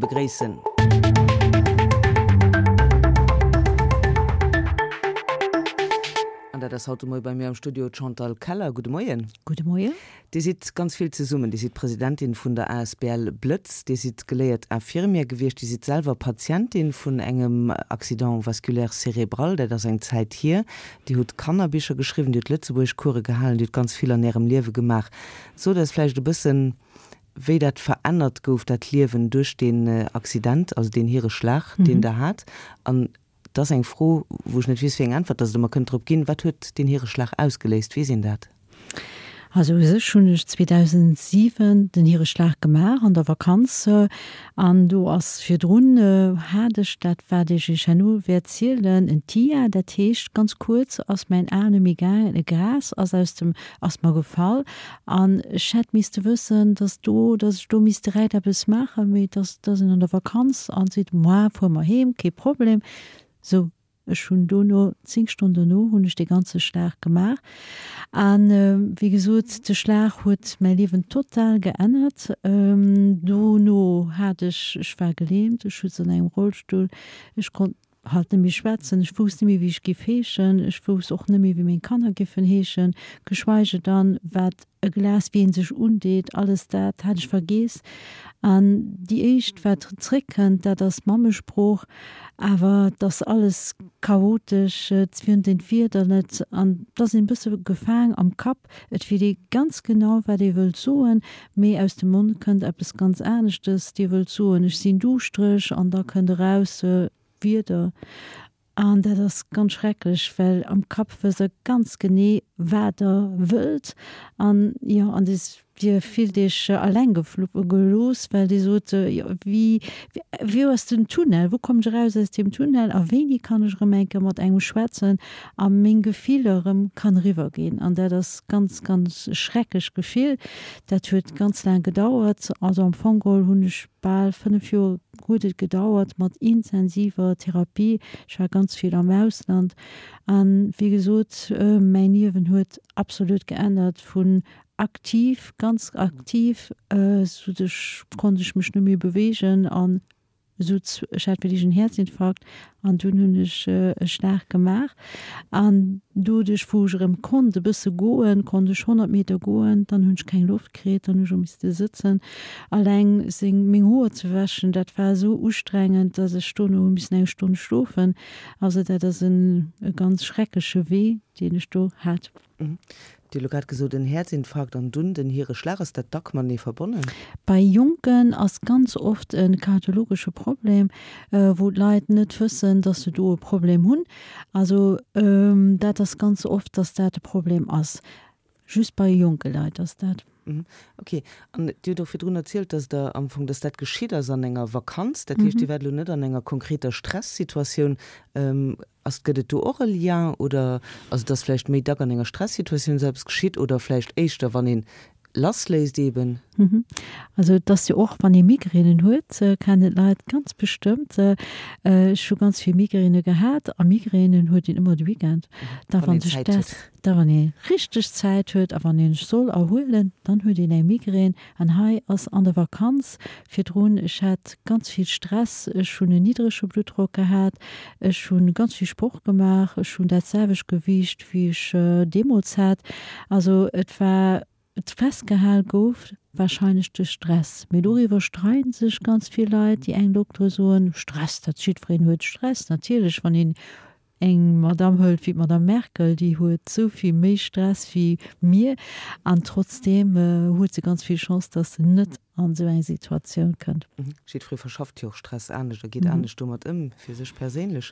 begréissen. An dat ass haut de Moie bei mir am Studio d'Chantal Keller. Gudde Moien. Gudde Moien. Dir sidd ganz vill zesummen. Dir sidd Presidentin vun der asbl Blëtz, Dir sidd geléiert Infirmière gewiescht, Dir sidd selwer Patientin vun engem Accident vasculaire cérébral, dat ass eng Zäit hier. Dir hutt Kannerbicher geschriwwen, Dir hutt Lëtzebuergeschcourse gehalen, Dir hutt ganz vill an Ärem Liewe gemaach. Sot eis vläicht e bëssen, wéi dat verännert gouf, dat Liewen duerch deen Accident, also deen Hireschlag, deen Der hat. An Et ass eng Fro, wou ech net weess, wéi eng Äntwert dass Der mer kënnt drop ginn. Wat huet deen Hireschlag ausgeléist? Weess een dat? Also u sech hunn ech 2007 den Hireschlag gemaach an der Vakanz. An do ass virdrun, hat ech dat, wat ech Iech herno wäert zielen, en TIA. Dat heescht, ganz kuerz ass mäin A net méi gaangen, e Gras ass aus dem, ass mer gefall. An ech hätt misste wëssen, dass do, dass ech do misst direkt eppes maachen, mee dass, dass een an der Vakanz an seet, Moi, fuer mer heem, kee Problem. Sou, ech hunn dono, 10 Stonnen dono hunn ech dee ganze Schlag gemaach. An, wéi gesot, de Schlag huet mäi Liewen total geännert. Dono hat ech, ech war gelähmt, ech sutz an engem Rollstull, ech konnt halt net méi schwätzen, ech wousst net méi wéi ech giff heeschen, ech wousst och net méi wéi meng Kanner giffen heeschen, geschweige dann wat e Glas wéi een sech undeet, alles dat hat ech vergeess. An déi éischt wat zréckkënnt, dat ass d'Mammesprooch, awer et ass alles chaotesch, et fënnt een d'Wierder net an et ass een e bësse gefaang am Kapp, et weess ee ganz genau wat ee wëllt soen, mee aus dem Mond kënnt eppes ganz aneschtes, Dir wëllt soen ech sinn duuschtereg an da kënnt eraus Wierder. An dat ass ganz schrecklech, well am Kapp wësst Der ganz genee, wat Der wëllt. An jo, an Dir fillt Iech alleng gelooss, well Dir sot, jo, wéi, wou ass den Tunnel, wou kommen ech eraus aus deem Tunnel a wéini kann ech erëm eng Kéier mat engem schwätzen a meng Gefiller erëm kann eriwwerginn. An dat ass ganz, ganz e schrecklech Gefill. Dat huet ganz laang gedauert. Also am Fong geholl hunn ech Bal 5 Joer huet et gedauert mat intensiver Therapie. Ech war ganz vill am Ausland an wéi gesot, mäin Liewen huet absolut geännert vun aktiv, ganz aktiv, sot ech, konnt ech mech net méi beweegen an sot ech hat wierklech en Häerzinfarkt An dunn hunn ech e Schlag gemaach an doduerch, wou ech erëm konnt e bësse goen, konnt ech 100 Meter goen, dann hunn ech keng Loft kritt, dann hunn ech och misste sëtzen. Alleng seng, meng Hoer ze wäschen, dat war esou ustrengend, datt ech dono hu missen eng Stonn schlofen. Also dat ass en e ganz schreckleche Wee, deen ech do hat. Dir hutt elo grad gesot, en Häerzinfarkt an dunn den Hireschlag. Ass dat dack matenee verbonnen? Bei Jonken ass ganz oft e kardiologesche Problem, wou d'Leit net wëssen, dass se do e Problem hunn. Also dat ass ganz oft, dass dat e Problem ass. Just bei jonke Leit ass dat. Ok. An Dir hutt och virdrun erzielt, dass Der am Fong, dass dat geschitt ass an enger Vakanz. Dat heescht, Dir waart elo net an enger konkreter Stressituatioun. Ass, gëtt et do och e Lien oder, also et ass vläicht méi dack an enger Stressituatioun esou eppes geschitt oder vläicht éischter wann een lassléisst eben? Also et ass jo och, wann ee Migränen huet, kennen d'Leit ganz bestëmmt, ech hu ganz vill Migräne gehat a Migränen huet een ëmmer de Weekend, da wann sech dat, da wann ee richteg Zäit huet a wann ee sech soll erhuelen, dann huet een eng Migrän. An hei ass an der Vakanz virdrun, ech hat ganz vill Stress, ech hunn en niddrege Bluttdrock gehat, ech hu ganz vill Sport gemaach, ech hunn dat selwecht Gewiicht wéi ech deemools hat. Also et war, festgehal gouf warscheinlech de Stress. Mee doriwwer streiden sech ganz vill Leit. Déi eng Doktere soen, Stress, dat jiddwereen huet Stress. Natierlech, wann een Eng Madamm hëlt wéi d'Madamm Merkel, déi huet esou vill méi Stress wéi mir an trotzdeem huet se ganz vill Chance, dass se net an esou eng Situatioun kënnt. Jiddweree verschafft jo och Stress anescht a geet anescht domat ëm, fir sech perséinlech.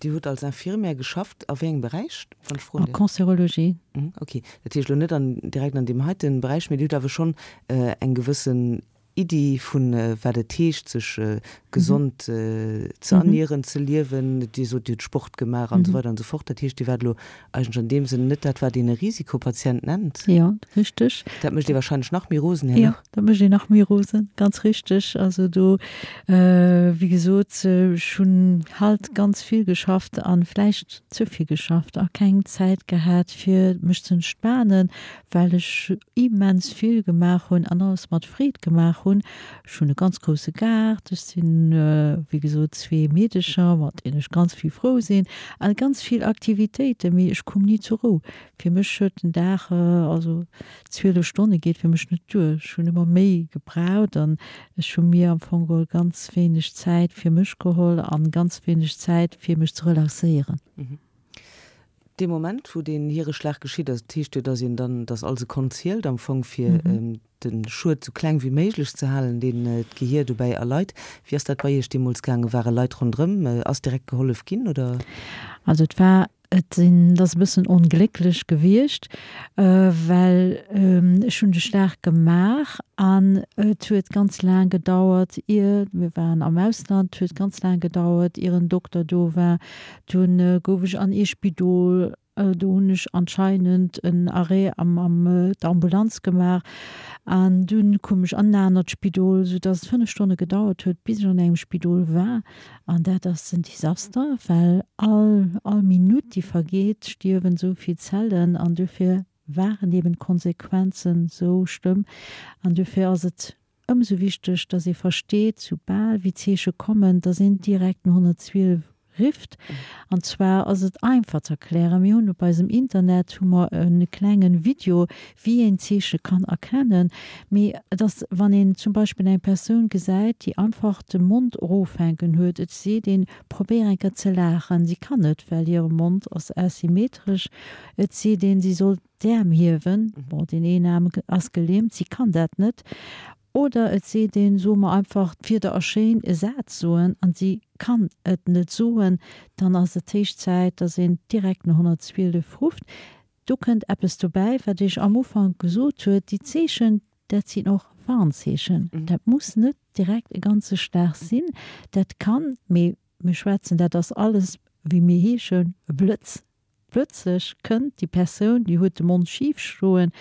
Dir hutt als Infirmière geschafft, a wéi engem Beräich, wann ech froen dierf? A Cancérologie. Ok, dat heescht elo net an direkt an deem heite Beräich, mee Dir hutt awer schonn eng gewëssen Iddi vun wat et heescht sech. gesond ze ernieren, ze liewen. Dir sot, Dir hutt Sport gemaach an esou weider an esou fort. Dat heescht, Dir waart elo eigentlech an deem Sënn net dat, wat een e Risikopatient nennt. Jo, richteg. Dat mécht ee wahrscheinlech nach méi rosen herno. Jo, dat mécht een nach méi rosen, ganz richteg. Also do, wéi gesot, ech hunn halt ganz vill geschafft a vläicht ze vill geschafft a keng Zäit gehat, fir mech ze entspanen, well ech immens vill gemaach hunn an alles mat Freed gemaach hunn. Ech hunn e ganz grousse Gaart, ech sinn, wéi gesot, zwee Meedecher, mat deenen ech ganz vill frou sinn, a ganz vill Aktivitéiten, mee ech koum ni zur Rou. Fir mech huet den Dag, also 12 Stonne geet fir mech net duer, ech hunn ëmmer méi gebraucht an ech hu mir am Fong geholl ganz wéineg Zäit fir mech geholl an ganz wéineg Zäit fir mech ze relaxéieren. Dee Moment, wou deen Hiereschlag geschitt ass, dat heescht jo, dass een dann, dass all Sekonn zielt am Fong, fir de Schued sou kleng wéi méiglech ze halen, deen d'Gehier dobäi erleit. Wéi ass dat bei Iech deemools gaangen? Ware Leit ronderëm? Ass direkt gehollef ginn, oder? Also et war, et sinn, et ass e bëssen onglécklech gewiescht, well ech hunn de Schlag gemaach an et huet ganz laang gedauert, ier, mir waren am Ausland, et huet ganz laang gedauert, ier en Dokter do war, Dunn gouf ech an ee Spidol, do hunn ech anscheinend en Arrêt am am der Ambulanz gemaach an dunn koum ech an en anert Spidol, sou dass et 5 Stonne gedauert huet, bis ech an engem Spidol war. An dat ass en Desaster, well all all Minutt déi vergeet, stierwen sou vill Zellen an dofir waren eben d'Konsequenzen sou schlëmm an dofir ass et Ëmsou wichteg, dass ee versteet, soubal wéi d'Zeeche kommen, dass een direkt den 112 rifft. An zwar ass et einfach ze erklären, mir hunn op eisem Internet hu mer e klengen Video, wéi een d'Zeeche kann erkennen. Mee et ass, wann een zum Beispill eng Persoun gesäit, déi einfach de Mond erofhänken huet, et seet een, probéier eng Kéier ze laachen, si kann net, well hire Mond ass asymmetresch, et seet een, si soll D'Äerm hiewen, bon, deen een Aarm ass gelähmt, si kann dat net. Oder et seet een, soe mer einfach, d'Wierder ass schéin, e Saz soen, an si kann et net soen, dann ass et héich Zäit, dass een direkt den 112 rufft. Do kënnt eppes dobäi, wat ech am Ufank gesot huet, déi Zeechen, dat sinn och Warnzeechen. Dat muss net direkt e ganze Schlag sinn, dat kann, mee mir schwätzen, dat ass alles, wéi mir heeschen, e Blëtz. Plötzlech kënnt déi Persoun, déi huet de Mond schif stoen,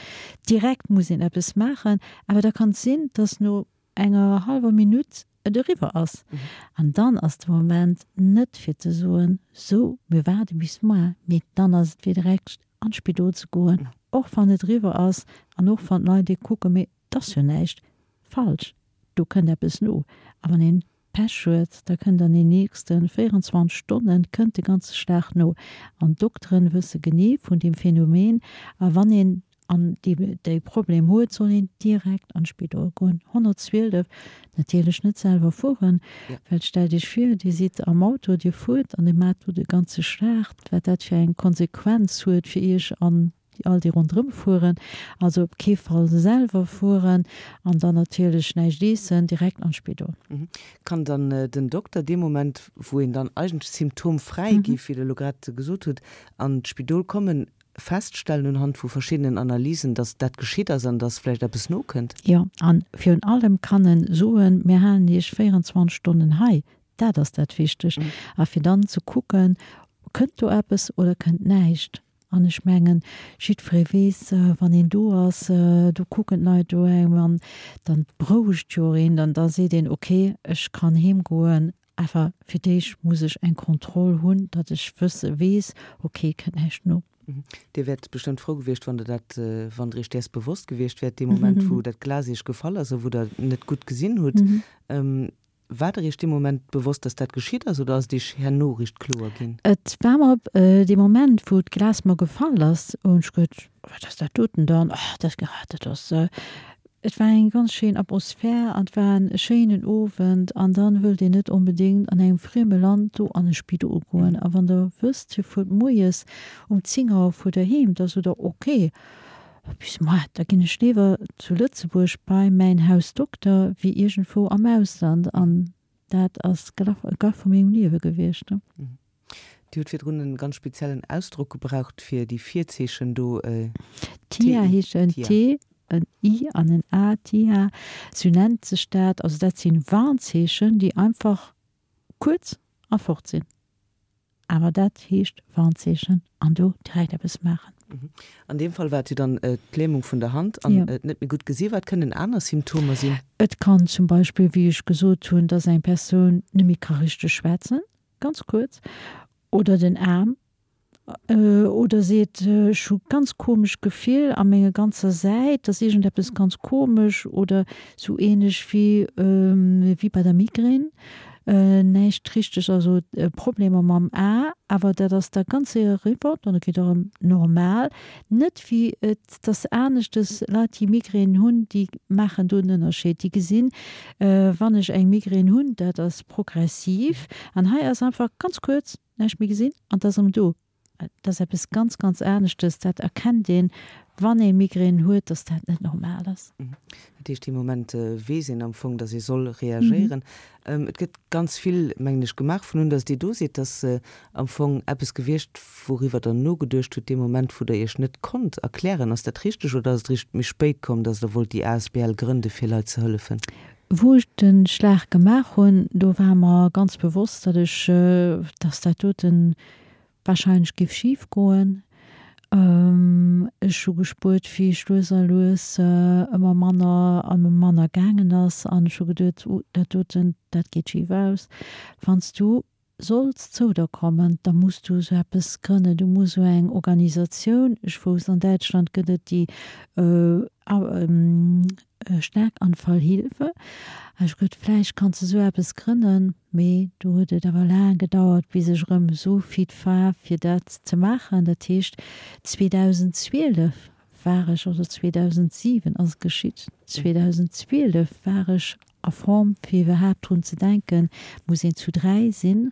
direkt muss een eppes maachen, awer da kann et sinn, dass no enger hallwer Minutt et eriwwer ass. An dann ass de Moment net fir ze soen, sou mir waarde bis moar, mee dann ass et fir direkt an d'Spidol ze goen, och wann et eriwwer ass an och wann d'Leit ee kucken, mee et ass jo näischt falsch, do kënnt eppes no. A wann een Pech huet, da kënnt an den nächste 24 Stonnen kënnt de ganze Schlag no. An d'Dokteren wësse genee vun deem Phänomen. A wann een an dee dee Problem huet, soll een direkt an d'Spidol goen. 112, natierlech net selwer fueren, well stellt Iech vir, Dir sidd am Auto, Dir fuert an Dir maacht do de ganze Schlag, wat dat fir eng Konsequenz huet fir Iech an déi all déi ronderëm fueren, also op kee Fall selwer fueren an dann natierlech näischt eessen, direkt an d'Spidol. Kann dann den Dokter dee Moment, wou een dann eigentlech symptomfräi géif, wéi Der elo grad gesot hutt, an d'Spidol kommen, feststellen unhand vu verschiddenen Analysen, datt dat geschitt ass an datt vläicht eppes nokënnt? Jo, a virun allem kann en soen, mir halen Iech 24 Stonnen hei, dat ass dat Wichtegt, a fir dann ze kucken, kënnt do eppes oder kënnt näischt. An ech mengen, jiddweree weess, wann een do ass, do kucken d'Leit do engem an, dann berouegt jo och een, dann da seet een, okay, ech kann heem goen, awer fir d'éischt muss ech eng Kontroll hunn, datt ech wësse weess, okay, kënnt näischt no. Dir wäert bestëmmt frou gewiescht, wann Der dat, wann Der Iech däers bewosst gewiescht wäert, dee Moment, wou dat Glas Iech gefall ass a wou Der net gutt gesinn hutt. War der Iech dee Moment bewosst, dass dat geschitt ass, oder ass et Iech herno richt kloer ginn? Et war mer dee Moment, wou d'Glas mer gefall ass, hunn ech geduet, Wat ass dat doten dann? Oh, dat, dat ass. Et war eng ganz schéin Atmosphär an et war en schéinen Owend an dann wëllt een net onbedéngt an engem frieme Land do an e Spidol goen. A wann der wësst, Dir fuert moies um 10 Auer fuert der heem, da sot der, Okay, Bis moar, da ginn ech léiwer zu Lëtzebuerg bei mäin Hausdokter wéi iergendwou am Ausland. An dat ass d'Gaff vu mengem Liewe gewiescht. Dir hutt virdrun e ganz speziellen Ausdrock gebraucht fir déi Virzeechen do. TIA heescht en T, en I an en A, TIA, sou nennt sech dat. Also dat si Warnzeechen, déi einfach. kuerz a fort sinn. Awer dat heescht Warnzeechen an do direkt eppes maachen. An deem Fall war et jo dann d'Lämung vun der Hand an et net méi gutt gesi. Wat kënnen aner Symptomer sinn? Et kann zum Beispill, wéi ech gesot hunn, dass eng Persoun net méi ka richteg schwätzen, ganz kuerz, oder den Aarm Oder seet, ech hu ganz komesch Gefill a menge ganzer Säit, ass iergendeppes ganz komesch oder sou ähnlech wéi wéi bei der Migrän, näischt richteg, also Problemer mam A, awer dat ass da ganz séier eriwwer, dann geet erëm normal. Net wéi et ass aneschtes, Leit déi Migrän hunn, déi maachen do en Ënnerscheed, déi gesinn, wann ech eng Migrän hunn, dat ass progressiv an hei ass einfach ganz kuerz, Näischt méi gesinn an 't ass erëm do. Et ass eppes ganz, ganz aneschtes. Dat erkennt een, wann ee Migrän huet, dass dat net normal ass. Dat heescht, dee Moment weess een am Fong, dass ee soll reagéieren. Et gëtt ganz vill, mengen ech, gemaach vun un, dass Dir do sidd. Dass am Fong eppes gewiescht, wouriwwer Der nogeduecht hutt dee Moment, wou Der Iech net konnt erklären. Ass dat richteg oder ass et eréischt méi spéit komm, dass Der wollt déi asbl grënde fir Leit ze hëllefen? Wou ech de Schlag gemaach hunn, do war mer ganz bewosst, datt ech, datt dat dote wahrscheinlech géif schif goen. Ech hu gespuert, wéi ech lues a lues ëmmer manner an ëmmer manner gaangen ass an ech hu geduet, oh dat doten, dat geet schif aus. Wann s du Solls zou der kommen, da muss du esou eppes grënnen, du muss esou eng Organisatioun, ech wousst an Däitschland gëtt et déi Schlaganfallhilfe, ech hu geduet, vläicht kanns de esou eppes grënnen, mee do huet et awer laang gedauert bis ech erëm esou fit war fir dat ze maachen. Dat heescht 2012 war ech, also 2007 ass et geschitt, 2012 war ech a Form fir iwwerhaapt drun ze denken, muss een zu 3 sinn.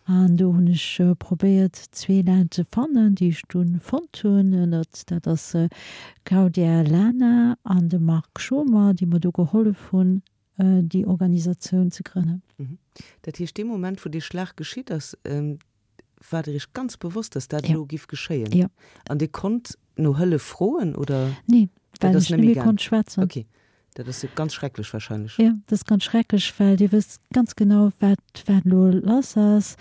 An do hunn ech probéiert zwee Leit ze fannen, déi ech dunn fonnt hunn. Ënnert dat ass d'Claudia Lana an de Marc Schomer, déi mer do gehollef hunn déi Organisatioun ze grënnen. Dat heescht dee Moment wou dee Schlag geschitt ass, War der Iech ganz bewosst, dass dat elo giff geschéien? Jo. An Dir konnt no Hëllef froen, oder? Nee, well ech net méi konnt schwätzen. Ok, dat ass jo ganz schrecklech wahrscheinlech. Jo, dat ass ganz schrecklech, well Dir wësst ganz genau, wat, wat elo lass ass.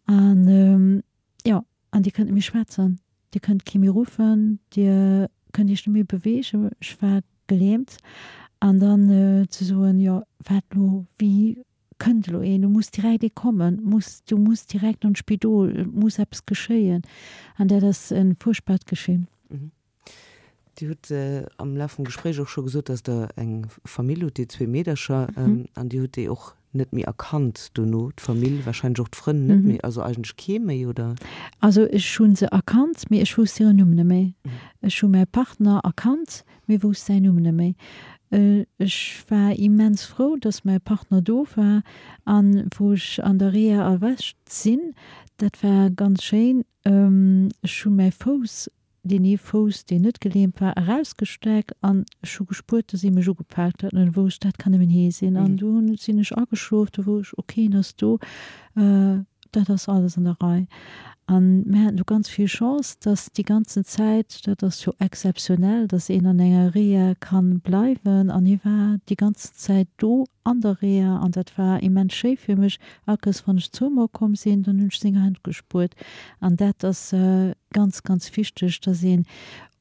An, jo, an Dir kënnt net méi schwätzen, Dir kënnt kee méi ruffen, Dir kënnt Iech net méi beweegen. Ech war gelähmt. An dann ze soen, jo, wat elo, wéi Kënnt elo een, do muss direkt ee kommen, muss, du muss direkt an d'Spidol, et muss eppes geschéien. An dat ass e fuerchtbart Gefill. Dir hutt am Laf vum Gespréich och scho gesot, datt Der eng Famill hutt, Dir zwee Meedercher, an Dir hutt déi och net méi erkannt dono, d'Famill, warscheinlech och d'Frënn net méi, also eigentlech kee méi, oder? Also ech hu se erkannt, mee ech wousst hiren Numm net méi. Ech hu mäi Partner erkannt, Mee wousst säin Numm net méi. Ech war immens frou, dass mäi Partner do war an wou ech an der Reha erwächt sinn, dat war ganz schéin. Ech hu mäi Fouss, deen ee Fouss, deen net gelähmt war, erausgestreckt an ech hu gespuert, dass ee mech ugepaakt huet. An du wousst, dat kann nëmmen hee sinn. An du sinn ech ageschlof, du wou ech, ok, en ass do. Dat ass alles an der Rei. A mir haten do ganz vill Chance, dass déi ganzen Zäit, dat ass jo exzeptionell, dass een an enger Reha ka bleiwen, an hie war déi ganzen Zäit do an der Reha an dat war immens schéi fir mech. All Kéiers wann ech zou mer komm sinn, dann hunn ech seng Hänn gespuert. An dat ass ganz, ganz wichteg, dass een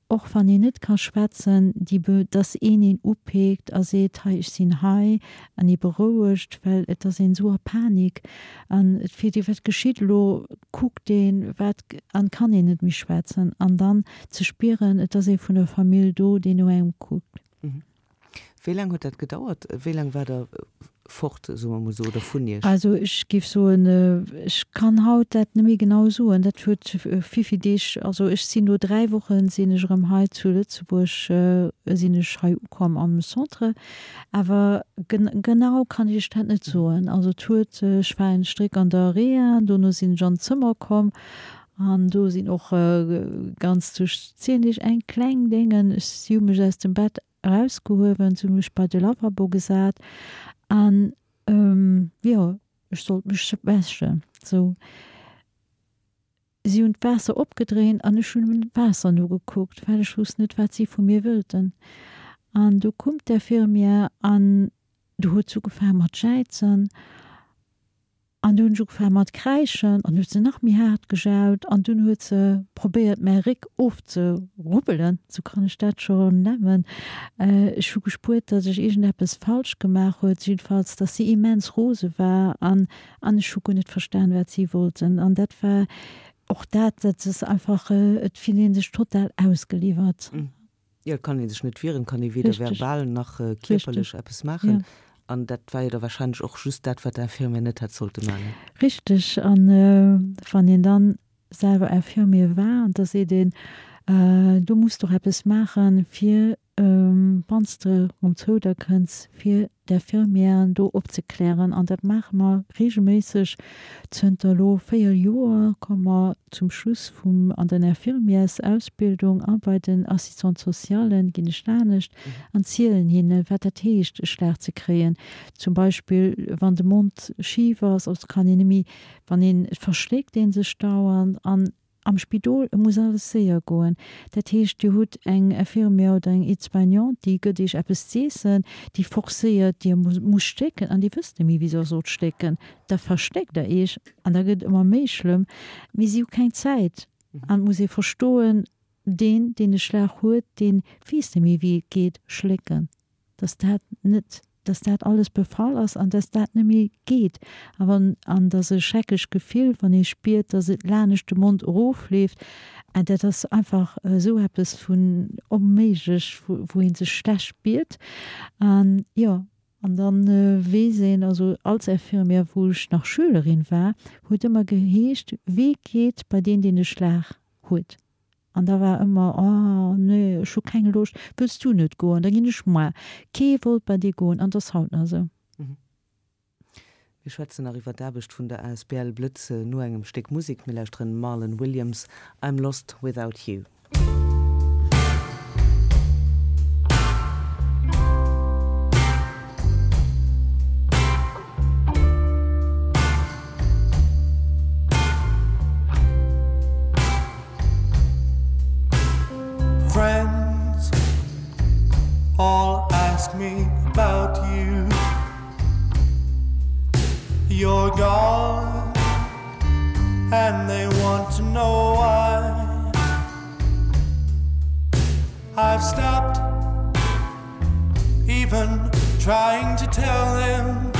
Och wann een net ka schwätzen, déi Be dass een een upeekt a seet, hei ech sinn hei, an ee berouegt, well et ass een esou a Panik an et freet ee wat geschitt elo, kuckt een wat an kann een net méi schwätzen an dann ze spieren, et ass ee vun der Famill do, deen no engem kuckt. Wéi laang huet dat gedauert? Wéi laang war Der fort, soe mer emol esou, oder vun Iech? Also ech géif soen, ech kann haut dat net méi genau soen. Dat huet vill, vill Deeg, also ech sinn no 3 Woche sinn ech erëm hei zu Lëtzebuerg, sinn ech hei ukomm am Centre. Awer genau kann ech Iech dat net soen. Also et huet, ech war en Stréck an der Reha, dono sinn ech an d'Zëmmer komm an do sinn och ganz duerch 10 Deeg eng kleng Déngen, ech, si hu mech aus dem Bett erausgehuewen, se hu mech bei de Lavabo gesat an jo, ech sollt mech wäschen. Sou, si hunn d'Waasser opgedréint an ech hunn dem Waasser nogekuckt, well ech wousst net, wat si vu mir wëllten. An du koum d'Infirmière an du huet s'ugefaange mat jäizen. An du hunn ech ugefaange mat kräischen an huet se nach méi haart gejaut an dunn huet se probéiert mäi Réck ofzerubbelen, sou kann ech dat scho nennen. Ech hu gespuert, datt ech iergendeppes falsch gemaach huet, jiddefalls datt si immens rose war an an ech hu guer net verstan wat si wollten an dat war och dat, dat ass einfach, et fillt ee sech total ausgeliwwert. Jo, et kann ee sech net wieren, et kann ee weder verbal nach kierperlech eppes maachen. An dat war jo da warscheinlech och just dat, wat d'Infirmière net hätt sollte maachen. Richteg. An wann een dann selwer Infirmier war, da seet een, du muss doch eppes maachen, fir wann s de erëm zou der kënns, fir d'Infirmièren do opzeklären. An dat maache mer reegelméisseg zënter elo 4 Joer, komme mer zum Schluss vum an den Infirmièrsausbildung a bei den Assistante-socialen ginn ech anescht an zielen hinne wat dat heescht e Schlag ze kréien. Zum Beispill wann de Mond schif ass, also kann een net méi, wann een, et verschléckt ee sech dauernd an Am Spidol, et muss alles séier goen. Dat heescht, Dir hutt eng Infirmière oder eng Aide-soignante, déi gëtt Iech eppes z'iessen, déi forcéiert, Dir musst stécken an Dir wësst net méi, wéi Der sollt stécken. Da verstéckt Der Iech an da gëtt et ëmmer méi schlëmm. Mee si hu keng Zäit an et muss ee verstoen, deen, deen e Schlag huet, dee weess net méi, wéi et geet, schlécken. dass dat net, dass dat alles befall ass an dass dat net méi geet a wann, an dass e schrecklech Gefill, wann ee spiert, dass et lanescht de Mond erofleeft, an dat ass einfach esou eppes vun onméiglech, wou, wou ee sech schlecht spiert. An jo, an da weess een, also als Infirmière, wou ech nach Schülerin war, huet ëmmer geheescht, Wee geet bei deen, deen e Schlag huet? An da war ëmmer, Oh nee, ech hu keng Loscht, wëlls du net goen, da ginn ech moar. Kee wollt bei dee goen an 't ass haut nach esou. Mir schwätzen nach iwwer d'Aarbecht vun der asbl Blëtz no engem Stéck Musek. Mir lauschteren Marlon Williams, I'm Lost Without You. Friends all ask me about you. You're gone and they want to know why. I've stopped even trying to tell them.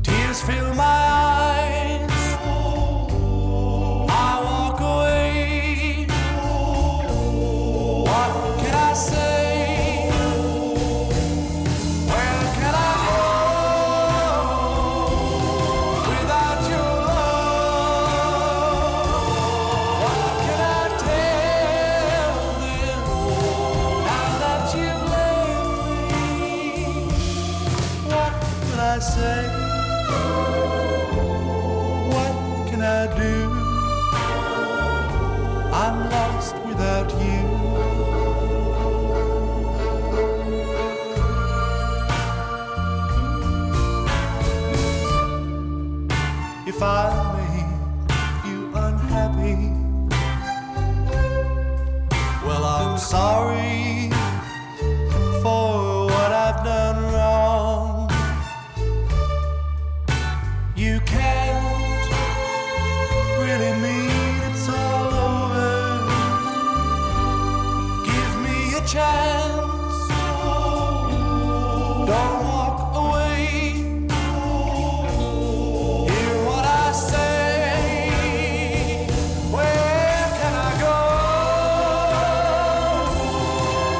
Tears fill my eyes. I walk away. What can I say? Where can I go without your love? What can I tell them now that you've left me? What can I say? What can I do? I'm lost without you. If I make you unhappy, well, I'm sorry for what I've done wrong. You can't really mean it's all over. Give me a chance. Don't walk away. Hear what I say. Where can I go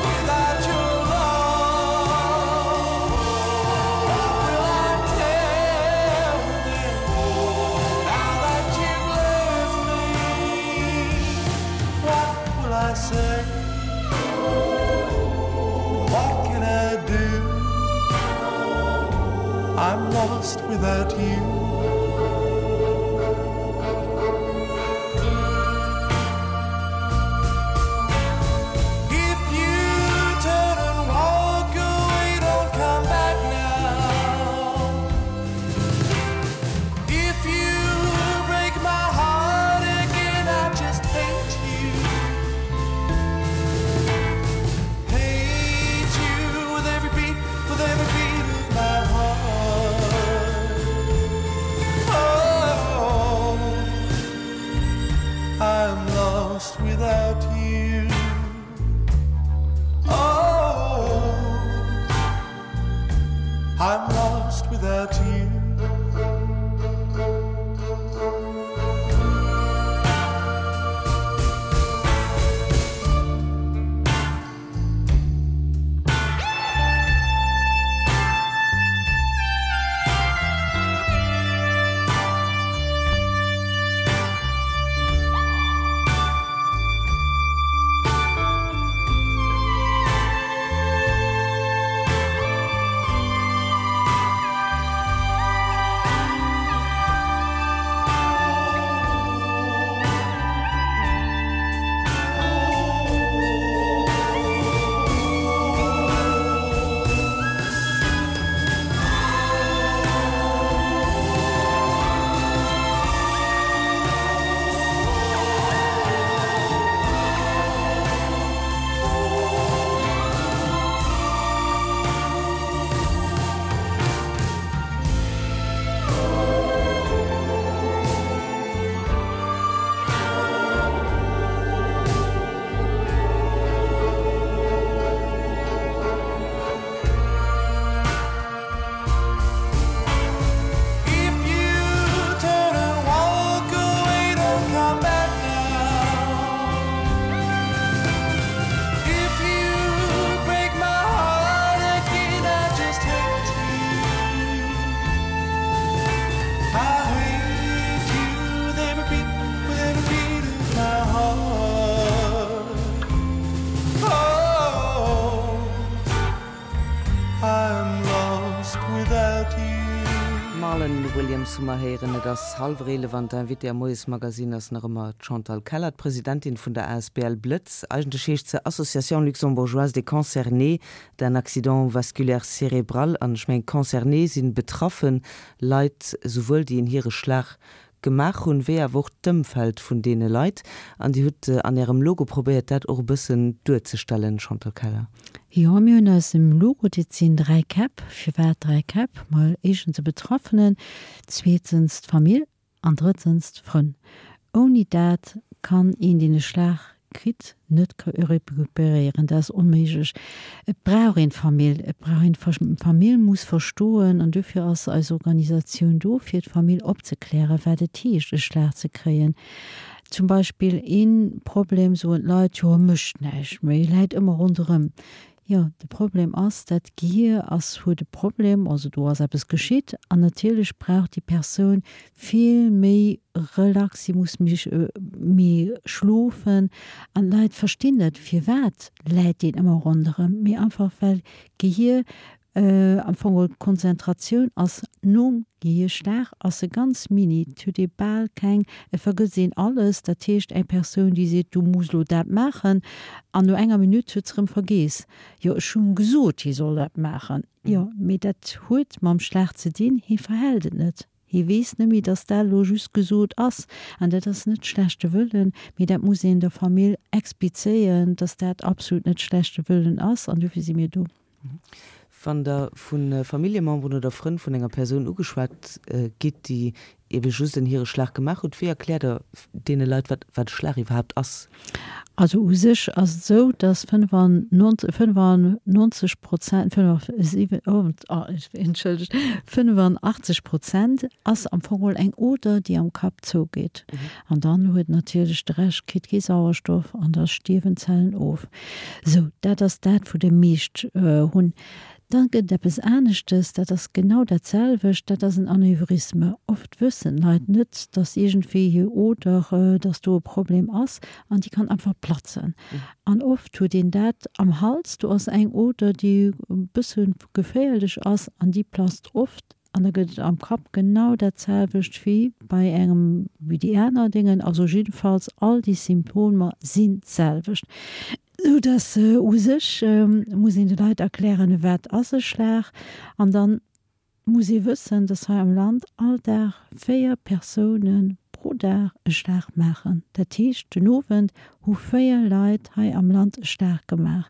without your love? What will I tell them now that you've left me? What will I say? What can I do? I'm lost without you. If you turn and walk away, don't come back now. If you break my heart again, I just hate you. Hate you with every beat, with every beat of my heart. without you. If you turn and walk away, don't come back now. If you break my heart again, I just hate you. I hate you with every beat, with every beat of my heart. Oh, I'm lost without you. Marlon Williams hu mer héieren. Et ass hallwer 11 an d'Invitée am Moiesmagazine ass nach ëmmer d'Chantal Keller, d'Presidentin vun der asbl Blëtz. Eigentlech heescht se Association luxembourgeoise des concernés d'un accident vasculaire cérébral. An ech mengen, concerné si betraffe Leit, souwuel déi en Hiereschlag gemaach hunn, wéi awer och d'Ëmfeld vun deene Leit. An Dir hutt an Ärem Logo probéiert, dat och e bëssen duerzestellen, Chantal Keller. Jo, mir hunn eisem Logo, dat sinn 3 Käpp. Firwat 3 Käpp? Mol éischtens de Betraffenen, zweetens d'Famill an drëttens d'Frënn. Ouni dat kann een, deen e Schlag kritt, net recuperéieren. Dat ass onméiglech. Et brauch een d'Famill. Et brauch een d'Famill muss verstoen, an dofir ass eis Organisatioun do, fir d'Famill opzeklären, wat et heescht, e Schlag ze kréien. Zum Beispill ee Problem, soen d'Leit, jo, e mécht näischt méi, e läit ëmmer ronderëm. Jo, de Problem ass, dat Gehier ass, huet e Problem, also do ass eppes geschitt an natierlech brauch déi Persoun vill méi Relax, si muss méi méi schlofen an d'Leit verstinn net, firwat läit deen ëmmer ronderëm, mee einfach well d'Gehier am Fong geholl d'Konzentratioun ass nom Gehierschlag ass se ganz mini, et huet ee bal keng, et vergësst een alles. Dat heescht eng Persoun déi seet, du muss elo dat maachen an no enger Minutt huet se erëm vergeess, jo ech hunn gesot hie soll dat maachen. Jo mee dat huet mam Schlag ze dinn, hie verhält et net, hie weess net méi, datt dat elo just gesot ass. An dat ass net schlechte Wëllen, mee dat muss een der Famill explizéieren, datt dat absolut net schlechte Wëllen ass an dofir si mir do. Wann Der vu Familljememberen oder Frënn vun enger Persoun ugeschwat gitt, déi ebe just en Hireschlag gemaach hutt, wéi erkläert Der deene Leit, wat wat e Schlag iwwerhaapt ass? Also u sech ass et esou, datt 95 Prozent, entschëllegt, 85 Prozent ass am Fong geholl eng Oder, déi am Kapp zougeet. An dann huet natierlech de Rescht kritt kee Sauerstoff an da stierwen d'Zellen of. Sou, dat ass dat, wou déi meescht hunn. Da gëtt et eppes aneschtes, dat ass genau dat selwecht, dat ass en Aneurysme. Oft wëssen d'Leit net, dass iergendwéi hir Oder, dass do e Problem ass an déi kann einfach platzen. An oft huet een dat am Hals, do ass eng Oder, déi e bësse geféierlech ass an déi platzt oft. An da gëtt et am Kapp genau dat selwecht wéi bei engem, wéi déi aner Déngen. Also jiddefalls all déi Symptomer sinn d'selwecht. Sou dass u sech muss een de Leit erklären, wat ass e Schlag. An dann muss ee wëssen, dass hei am Land all Dag 4 Persoune pro Dag e Schlag maachen. Dat heescht den Owend hu 4 Leit hei am Land e Schlag gemaach.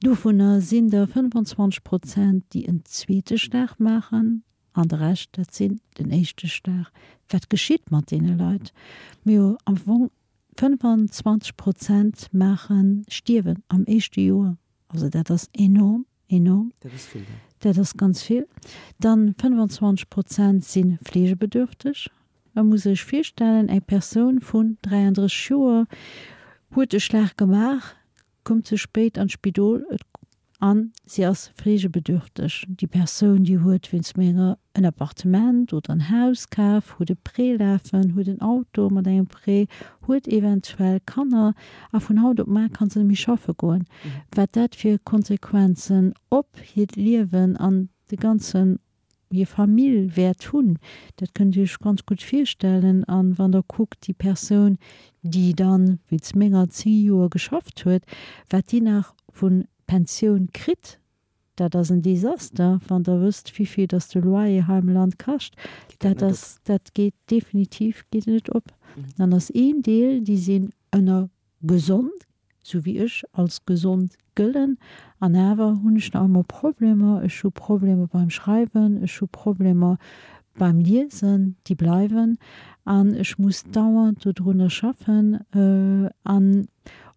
Dovunner sinn der 25 Prozent, déi en zweete Schlag maachen, an de Rescht, dat sinn den éischte Schlag. Wat geschitt mat deene Leit? Mir am Fong 25 Prozent maachen, stierwen am éischte Joer. Also dat ass enorm, enorm. Dat ass vill, jo. Dat ass ganz vill. Dann 25 Prozent si fleegebedürfteg. Et muss ee sech virstellen, eng Persoun vun 33 Joer huet e Schlag gemaach, koum ze spéit an d'Spidol an si ass fleegebedürfteg. Déi Persoun, déi huet wéinst menger en Appartement oder en Haus kaf, huet e Prêt lafen, huet en Auto mat engem Prêt, huet eventuell Kanner a vun haut op mar ka se net méi schaffe goen. Wat dat fir Konsequenzen op hiert Liewen an de ganzen hir Famill wäert hunn, dat kënnt Dir Iech ganz gutt virstellen. A wann Der kuckt, déi Persoun, déi dann, wéinst menger, 10 Joer geschafft huet, wat déi nach vu Pensioun kritt, dat ass en Desaster, wann Der wësst, wivill dass de Loyer hei am Land kascht. Dat ass, dat geet definitiv geet net op. Dann ass een Deel, déi sinn ënner gesond, sou wéi ech als gesond gëllen, an awer hunn ech nach ëmmer Problemer. Ech hu Problemer beim Schreiwen, ech hu Problemer beim Liesen, déi bleiwen, an ech muss dauernd dodrunner schaffen. An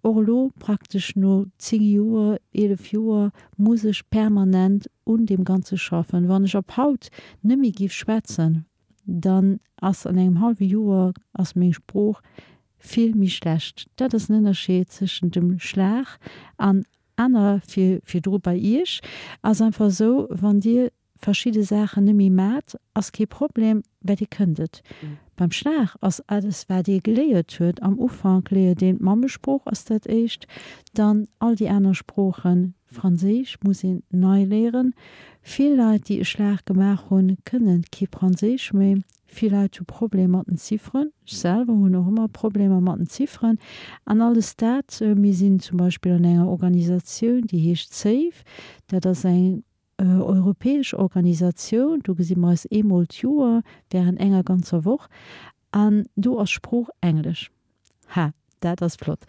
och elo, praktesch no 10 Joer, 11 Joer, muss ech permanent un deem Ganze schaffen. Wann ech ab haut net méi giff schwätzen, dann ass an engem hallwe Joer ass meng Sprooch vill méi schlecht. Dat ass en Ënnerscheed zwëschent dem Schlag an aner fir virdru bei Iech ass einfach esou, wann Dir verschidde Saachen net méi mat, ass kee Problem, well Dir kënnt et. Beim Schlag ass alles wat ee geléiert huet, am Ufank léiert een d'Mammesprooch ass dat éischt, dann all déi aner Sproochen, Franséisch muss een nei léieren. Vill Leit déi e Schlag gemaach hunn, kënnen kee Franséisch méi. Vill Leit hu Problemer mat den Zifferen. Ech selwer hunn och ëmmer Problemer mat den Zifferen. An alles dat, mir sinn zum Beispill an enger Organisatioun, déi heescht SAVE, dat ass eng europäesch Organisatioun, do gesi mer eis eemol d'Joer während enger ganzer Woch an do ass Sprooch Englesch. Ha, dat ass flott.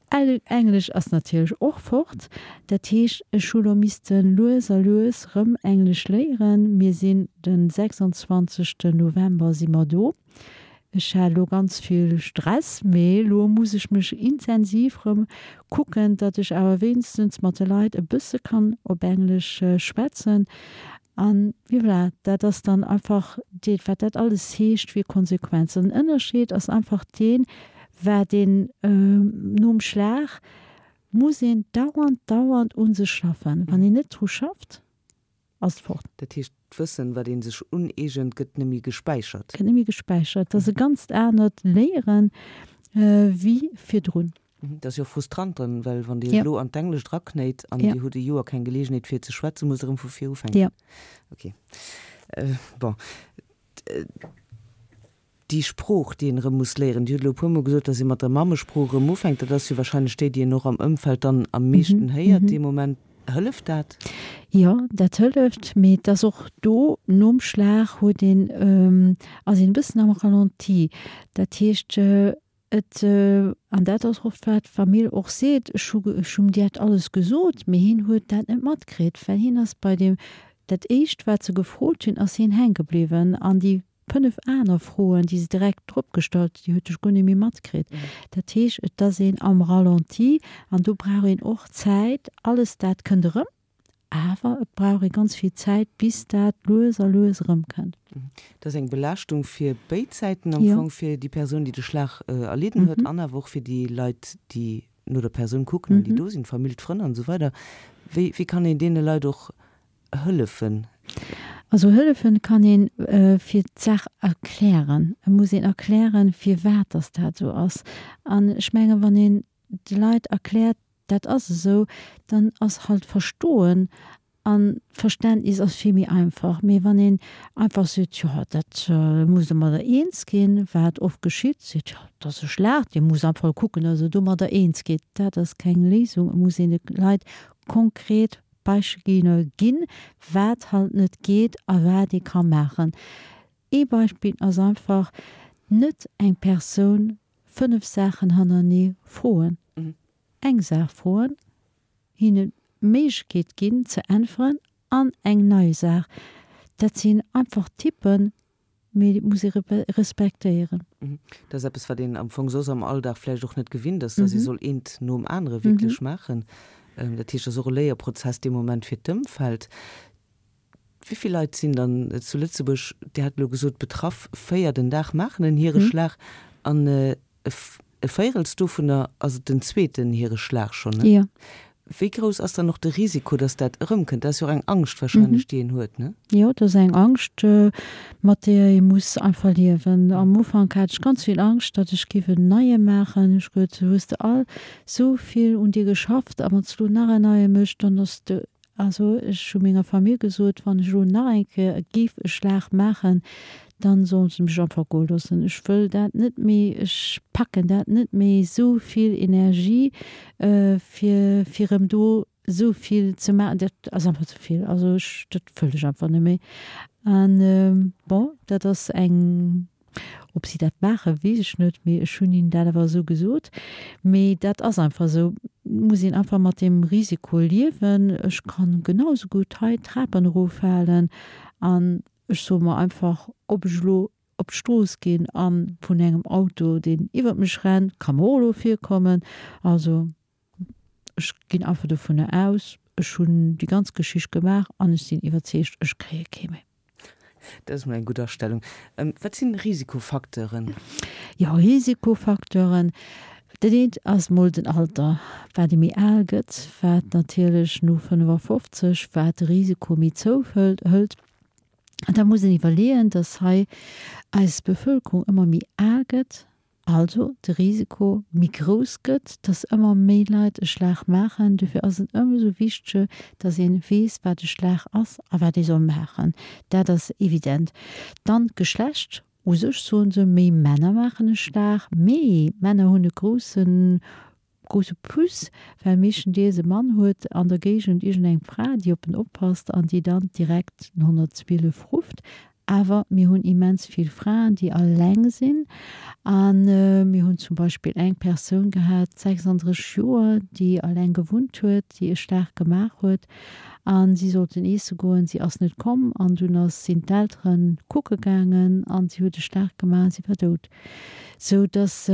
Englesch ass natierlech och fort. Dat heescht, ech hu lo misste lues a lues rëm Englesch léieren. Mir sinn de 26. November si mer do. Ech hat elo ganz vill Stress, mee elo muss ech mech intensiv rëm kucken, datt ech awer wéinstens mat de Leit e bësse kann op Englesch schwätzen. An voilà, dat ass dann einfach dee wat dat alles heescht fir Konsequenzen. Den Ënnerscheed ass einfach deen, wat een nom Schlag muss een dauernd, dauernd u sech schaffen. Wann een net dru schafft, ass et fort. Dat heescht, d'Wëssen, wat ee sech uneegent, gëtt net méi gespäichert? Gëtt net méi gespäichert. Dat ass e ganzt anert Léieren wéi virdrun. Dat ass jo och frustrant dann, well wann Dir elo an d'Englescht eraknéit an Dir hutt e Joer keng Geleegenheet fir ze schwätzen, musst Der erëm vu vir ufänken. Jo. Ok. Bon. Déi Sprooch, déi een erëm muss léieren, Dir hutt elo e puermol gesot, datt ee mat der Mammesprooch erëm ufänkt, dat ass jo wahrscheinlech déi, déi een och am Ëmfeld dann am meeschten héiert dee Moment. Hëlleft dat? Jo, dat hëlleft, mee et ass och do, nom Schlag huet een, ass een e bëssen am Ralenti. Dat heescht, et, an dat ass oft wat d'Famill och seet, ech hu, ech hunn dat alles gesot, mee hien huet dat net matkritt, well hien ass bei deem, dat éischt wat se gefrot hunn, ass hien hänke bliwwen an déi 5 aner Froen, déi se direkt drop gestallt, déi huet ech guer net méi matkritt. Dat heescht, et ass een am Ralenti an do brauch een och Zäit. Alles dat kënnt erëm, awer et brauch ee ganz vill Zäit, bis dat lues a lues erëmkënnt. Dat ass eng Belaaschtung fir béid Säiten am Fong, fir déi Persoun, déi de Schlag erlidden huet, an awer och fir déi Leit, déi no der Persoun kucken an déi do sinn, d'Famill, d'Frënn an esou weider. Wéi kann een deene Leit och hëllefen? Also hëllefen kann een fir d'Saach erklären. Et muss een erklären, firwat dass dat esou ass. An ech mengen, wann een de Leit erkläert, dat ass esou, dann ass halt Verstoen an d'Verständnis ass vill méi einfach. Mee wann een einfach seet, jo dat muss domadder eens ginn, wat oft geschitt, seet, jo dat ass e Schlag, dee muss einfach kucken, dass e domadder eens geet, dat ass keng Léisung. Et muss een de Leit konkret Beispiller ginn, wat halt net geet a wat ee ka maachen. Ee Beispill ass einfach, net eng Persoun 5 Saachen hannerenee froen. Eng Saach froen, hinnen d'Méiglechkeet ginn ze äntweren an eng nei Saach. Dat sinn einfach Tippen, Mee et muss ee respektéieren. Dat ass eppes, wat een am Fong soss am Alldag vläicht och net gewinnt ass, dass ee soll eent nom anere wierklech maachen. Dat heescht, et ass och e Léierprozess dee Moment fir d'Ëmfeld. Wéi vill Leit sinn dann zu Lëtzebuerg, Dir hat elo gesot, betraff? 4 den Dag maachen en Hiereschlag an e Véirels dovunner ass et den zweeten Hiereschlag schonn, ne? Jo. Wéi grouss ass dann och de Risiko, datt dat erëmkënnt? Dat ass jo och eng Angscht warscheinlech, déi een huet, ne? Jo, dat ass eng Angscht, mat deeër ee muss einfach liewen. Am Ufank hat ech ganz vill Angscht, datt ech géif en neie maachen. Ech gesot, hues de all sou vill un dir geschafft a wann s de elo nach en neie méchs, dann ass de Also ech hu menger Famill gesot, wann ech elo nach eng Kéier géif e Schlag maachen, dann sollen se mech einfach goe loossen. Ech wëll dat net méi, ech packen dat net méi, esou vill Energie fir fir erëm do esou vill ze maachen, dat ass einfach ze vill. Also ech, dat wëll ech einfach net méi. An bon, dat ass eng Ob si dat maachen, weess ech net, mee ech hunn hinnen dat awer esou gesot. Mee dat ass einfach esou, et muss een einfach mat deem Risiko liewen. Ech kann genau esou gutt hei d'Trapen eroffalen an ech soe mer einfach, ob ech elo op d'Strooss ginn a vun engem Auto, deen iwwert mech rennt, ka mer och elo virkommen. Also ech ginn einfach dovunner aus, ech hunn déi ganz Geschicht gemaach an ech sinn iwwerzeegt, ech kréie kee méi. Dat ass mol eng gutt Astellung. Wat sinn Risikofacteuren? Jo, Risikofacteuren, dat eent ass mol den Alter. Wat ee méi al gëtt, wat natierlech no 55, wat de Risiko méi zouhëlt. An da muss een iwwerleeën, datt hei eis Bevëlkerung ëmmer méi al gëtt. Also de Risiko méi grouss gëtt, dass ëmmer méi Leit e Schlag maachen. Dofir ass et ëmsou wichtege, dass een weess, wat e Schlag ass a wat ee soll maachen. Dat ass evident. Dann d'Geschlecht. U sech soen se, méi Männer maachen e Schlag, mee Männer hunn e groussen, grousse Plus, well meeschtendeels e Mann huet an der Géigend iergendeng Fra, déi op en oppasst an déi dann direkt den 112 rufft. Awer mir hunn immens vill Fraen, déi alleng sinn. A mir hunn zum Beispill eng Persoun gehat, 36 Joer, déi alleng gewunnt huet, déi e Schlag gemaach huet. A si sollten eesse goen, si ass net komm. An dunn ass, sinn d'Eltere kucke gaangen a si huet e Schlag gemaach an si war dout. Sou dass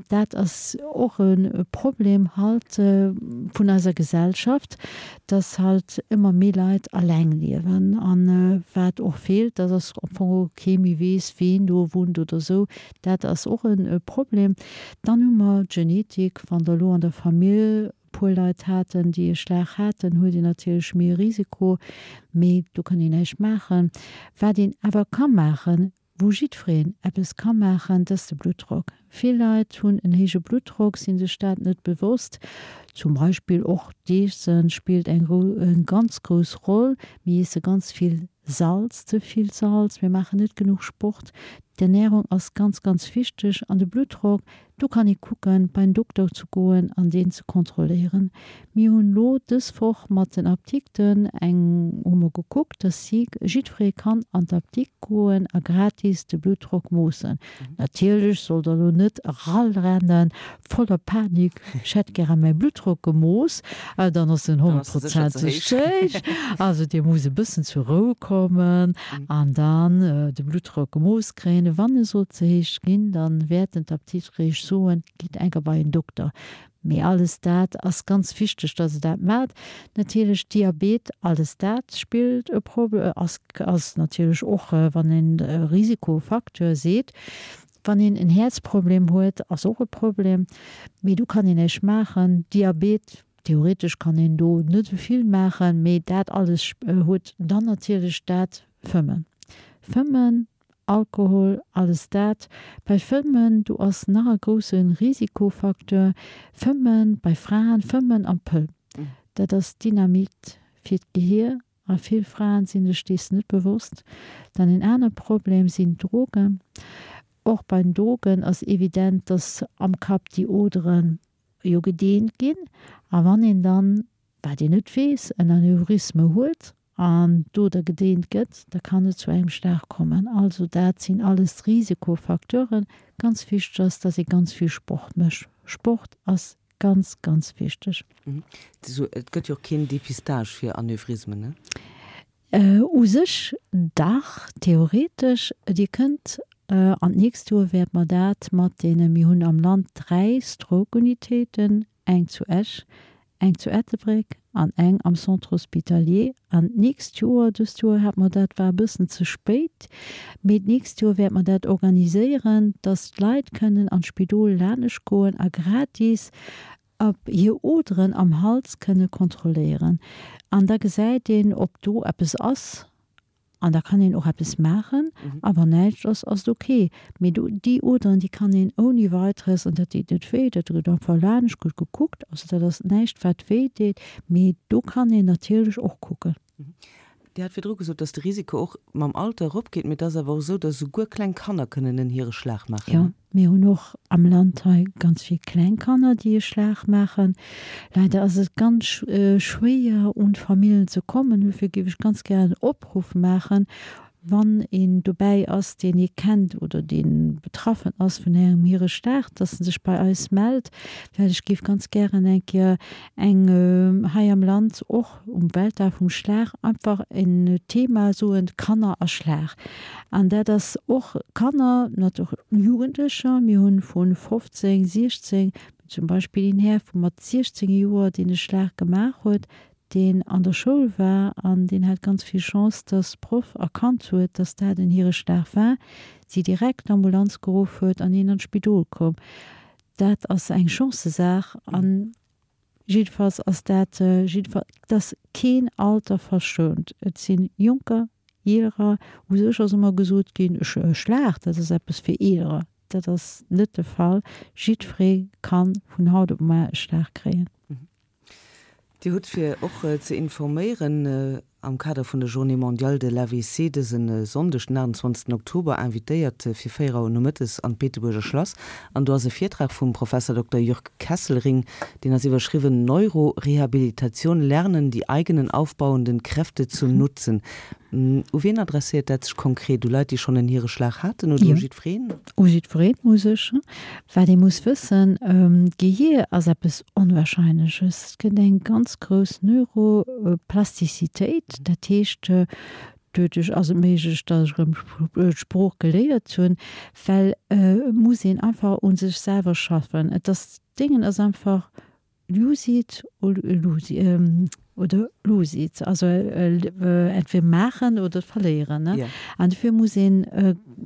dat ass och e Problem halt vun eiser Gesellschaft, dass halt ëmmer méi Leit alleng liewen. An wat och feelt, dat ass am Fong och kee méi weess, ween do wunnt oder esou. Dat ass och e Problem. Dann hu mer d'Genetik, wann der elo an der Famill e puer Leit haten, déi e Schlag haten, huet een natierlech méi e Risiko. Mee do kann een näischt maachen. Wat een awer ka maachen, Wou jiddwereen eppes ka maachen, dat ass de Bluttdrock. Vill Leit hunn en héije Bluttdrock, sinn sech dat net bewosst. Zum Beispill och d'Iessen spillt eng ganz grouss Roll. Mir iesse ganz vill Salz, ze vill Salz, mir maachen net genuch Sport. D'Ernärung ass ganz, ganz wichteg an de Bluttdrock Do kann ee kucken, bei en Dokter ze goen an deen ze kontrolléieren. Mir hunn elo dës Woch mat den Apdikten eng, hu mer gekuckt, dass si, jiddweree kann an d'Apdikt goen a gratis de Bluttdrock moossen. Natierlech sollt der elo net erarennen, voller Panik, ech hätt gäre mäi Bluttdrock gemooss, dann ass en honnertprozenteg ze héich. Also dee muss e bëssen zur Rou kommen an dann de Bluttdrock gemooss kréien. Wann e sollt ze héich ginn, dann wäerten d'Apdiktereech soen, gitt enker bei en Dokter. Mee alles dat ass ganz wichteg, dass e dat maacht. Natierlech Diabet, alles dat spillt e Prob-, ass, ass natierlech och, wann een Risikofacteur seet. Wann een en Häerzproblem huet, ass och e Problem, mee do kann een näischt maachen. Diabet, theoretesch kann een do net esou vill maachen, mee dat alles huet dann natierlech dat Fëmmen. Fëmmen, Alkohol, alles dat. Bei Fëmmen, do ass nach e grousse Risikofacteur, Fëmmen bei Fraen, Fëmmen an Pëll, dat ass Dynamit fir d'Gehier a vill Fraen sinn sech dees net bewosst. Dann en aner Problem sinn d'Drogen. Och bei den Drogen ass evident, dass am Kapp déi Oderen jo gedeent ginn a wann een dann, wat een net weess, en Aneurysme huet an d'Oder gedeent gëtt, da kann et zu engem Schlag kommen. Also dat sinn alles Risikofacteuren. Ganz wichteg ass, dass ee ganz vill Sport mécht. Sport ass ganz, ganz wichteg. Et gëtt jo och keen Dépistage fir Aneurysmen, ne? U sech dach, theoretesch. Dir kënnt, an d'nächst Joer wäerte mer dat mat deene, mir hunn am Land 3 Stroke-Unitéiten, eng zu Esch, eng zu Ettelbréck. an eng am Centre hospitalier. An d'nächst Joer, dëst Joer hat mer dat, war e bëssen ze spéit, mee d'nächst Joer wäerte mer dat organiséieren, dass d'Leit kënnen an d'Spidol lanescht goen a gratis op hir Oderen am Hals kënne kontrolléieren. An da gesäit een, ob do eppes ass. An da kann een och eppes maachen. A wann näischt ass, ass et ok. Mee do, déi Oderen, déi kann een ouni Weiteres, an dat deet net wéi, dat gëtt einfach laanscht, gëtt gekuckt. Also dat ass näischt, wat wéi deet, mee do kann een natierlech och kucken. Dir hat virdru gesot, dass de Risiko och mam Alter eropgeet, mee et ass awer och esou, dass esouguer kleng Kanner kënnen en Hireschlag maachen. Jo, mir hunn och am Land hei ganz vill kleng Kanner, déi e Schlag maachen. Leider ass et ganz schwéier, un d'Famillen ze kommen. Dofir géif ech ganz gären en Opruff maachen, wann een dobäi ass, deen ee kennt oder dee betraffen ass vun engem Hireschlag, dass en sech bei eis mellt, well ech géif ganz gären eng Kéier eng hei am Land och um Weltdag vum Schlag einfach en Thema soen, Kanner a Schlag. An dat ass och Kanner, nat och Jugendlecher, mir hunn vu 15, 16, zum Beispill een Här vu mat 16 Joer, deen e Schlag gemaach huet, deen an der Schoul war an deen hat ganz vill Chance, dass d'Proff erkannt huet, dass dat en Hireschlag war, si direkt d'Ambulanz geruff huet an hien an d'Spidol koum. Dat ass eng Chancesaach an Jiddefalls ass dat jiddefalls, et ass keen Alter verschount. Et si Jonker, Eelerer. U sech ass ëmmer gesot ginn, e Schlag, dat ass eppes fir Eelerer. Dat ass net de Fall. Jiddweree ka vun haut op muar e Schlag kréien. Dir hutt, fir och ze informéieren, am Kader vun der Journée mondiale de l'AVC dëse Sonndeg, den 28 Oktober, invitéiert fir 4 Auer nomëttes an d'Beetebuerger Schlass. An do ass e Virtrag vum Professor Dokter Jürg Kesselring, deen ass iwwerschriwwen Neurorehabilitation, Lernen, die eigenen aufbauenden Kräfte zu nutzen. U wien adresséiert dat sech konkret? U Leit, déi schonn en Hireschlag haten oder u jiddwereen? U jiddwereen u sech. Wat ee muss wëssen, D'Gehier ass eppes Onwahrscheinleches. Et gëtt eng ganz grouss Neuroplastizitéit, dat heescht, doduerch ass et méiglech, datt ech erëm d'Sprooch geléiert hunn, well et muss een einfach u sech selwer schaffen. Et ass, d'Déngen ass einfach Use it or lose oder lose it, also entweder maachen oder verléieren, ne? An dofir muss een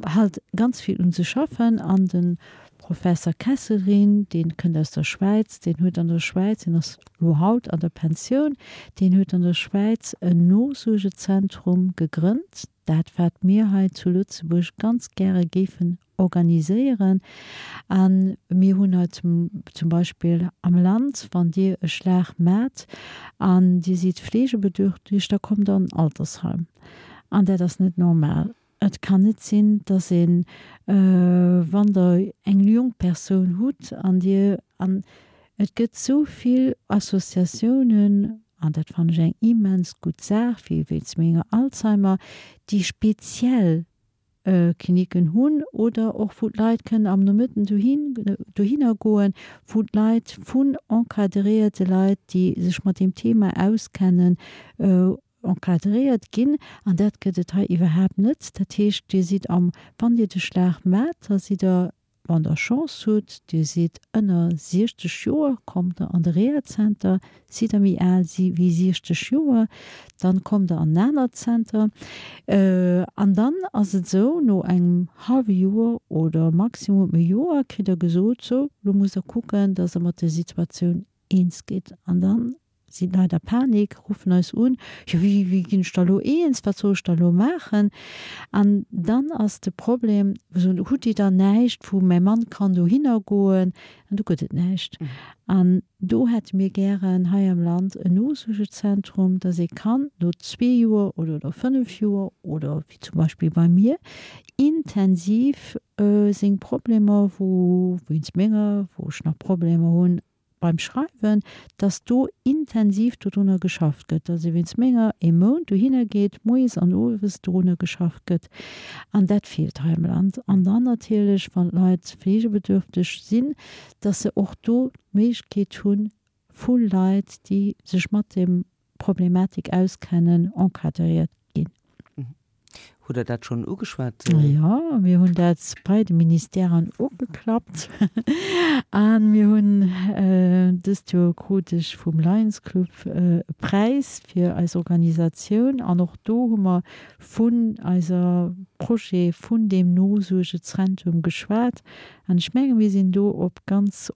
halt ganz vill un sech schaffen. An de Professer Kesselring, dee kënnt aus der Schwäiz, deen huet an der Schwäiz, deen ass elo haut an der Pensioun, deen huet an der Schwäiz en Nosuergezentrum gegrënnt, dat wat mir hei zu Lëtzebuerg ganz gäre géifen organiséieren. A mir hunn hei zum Beispill am Land, wann Dir e Schlag maacht an Dir sidd fleegebedürftig, da kommt Der an en Altersheim. An dat ass net normal. Et kann net sinn, dass een, wann Der eng jonk Persoun hutt an Dir, an et gëtt esou vill Associatiounen, an dat fannen ech eng immens gutt Saach, wéi wéinst menger Alzheimer, déi speziell Kliniken hunn oder och wou d'Leit kënnen am Nomëtten dohin, dohinner goen, wou d'Leit vun encadréierte Leit, déi sech mat deem Thema auskennen, encadréiert ginn. An dat gëtt et hei iwwerhaapt net. Dat heescht, Dir sidd am, wann Dir de Schlag maacht, da sidd Der Wann der Chance hutt, dir sidd ënner 60 Joer, kommt der an de Rehazenter. Sidd der méi al wéi 60 Joer, dann kommt der an en anert Zenter. An dann ass et esou, no engem hallwe Joer oder maximum e Joer kritt der gesot, sou, lo musst der kucken, dass der mat der Situatioun eens gitt. An dann sinn d'Leit a Panik, ruffen eis un, jo wéi, wéi ginn ech da lo eens, wat soll ech da lo maachen? An dann ass de Problem, soen, hutt Dir dann näischt, wou mäi Mann kann dohinner goen? An do gëtt et näischt. An do hätte mir gären hei am Land en Nosuergezentrum, dass ee kann no zwee Joer oder no fënnef Joer oder wéi zum Beispill bei mir, intensiv seng Problemer, wou wéinst menger, wou ech nach Problemer hunn, beim Schreiwen, dass do intensiv dodrunner geschafft gëtt, dass ee wéinst menger ee Mount dohinner geet, moies an owes dorunner geschafft gëtt. An dat feelt hei am Land. An dann natierlech, wann d'Leit fleegebedürfteg sinn, dass se och do d'Méiglechkeet hunn, vu Leit, déi sech mat deem Problematik auskennen, encadréiert ginn. Hutt Der dat schonn ugeschwat? Jo, mir hunn dat bei de Ministèren ugeklappt a mir hunn dëst Joer krut ech vum Lions Club e Präis fir eis Organisatioun an och do hu mer vun eiser Projet vun deem Nosuergezentrum geschwat an ech menge mir sinn do op ganz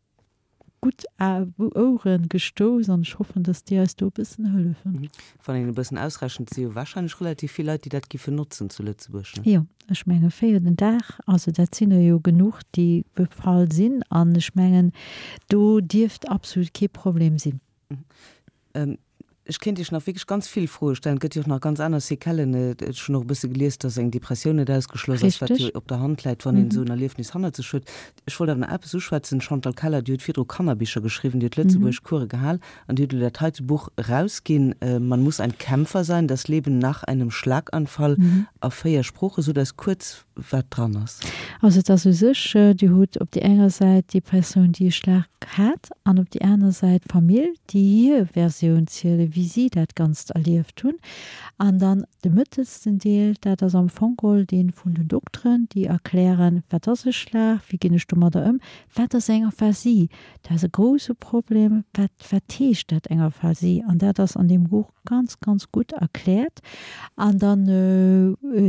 gutt Ouere gestouss an ech hoffen, dass déi eis do e bëssen hëllefen. Wann een e bëssen ausrechent, si jo warscheinlech relativ vill Leit, déi dat giffen notzen zu Lëtzebuerg, ne? Jo, ech menge 4 den Dag, also dat sinn der jo genuch, déi befall sinn an ech mengen, do dierft absolut kee Problem sinn. Ech kéint Iech nach wierklech ganz vill Froe stellen. Et gëtt jo och nach ganz aner Séquellen. Ech hunn och e bësse gelies, dass eng Depressioun net ausgeschloss ass, wat jo op der Hand läit, wann een esou en Erliefnis hannert sech huet. Ech wollt awer nach eppes uschwätzen. D'Chantal Keller, déi huet virdru Kannerbicher geschriwwen, déi huet Lëtzebuergesch Coure gehal an déi huet elo dat heite Buch erausginn, Man muss ein Kämpfer sein, das Leben nach einem Schlaganfall a 4 Sproochen. Sot eis kuerz, wat dran ass. Also et ass u sech, Dir hutt op déi enger Säit déi Persoun, déi e Schlag hat, an op déi aner Säit d'Famill, déi hir Versioun zielen, wéi si dat Ganzt erlieft hunn. An dann de mëttelsten Deel, dat ass am Fong geholl dee vun den Dokteren, déi erklären, wat ass e Schlag, wéi ginn ech domadder ëm, wat ass eng Aphasie, dat ass e grouse Problem, wat, wat heescht dat, eng Aphasie? An dat ass an deem Buch ganz, ganz gutt erkläert. An dann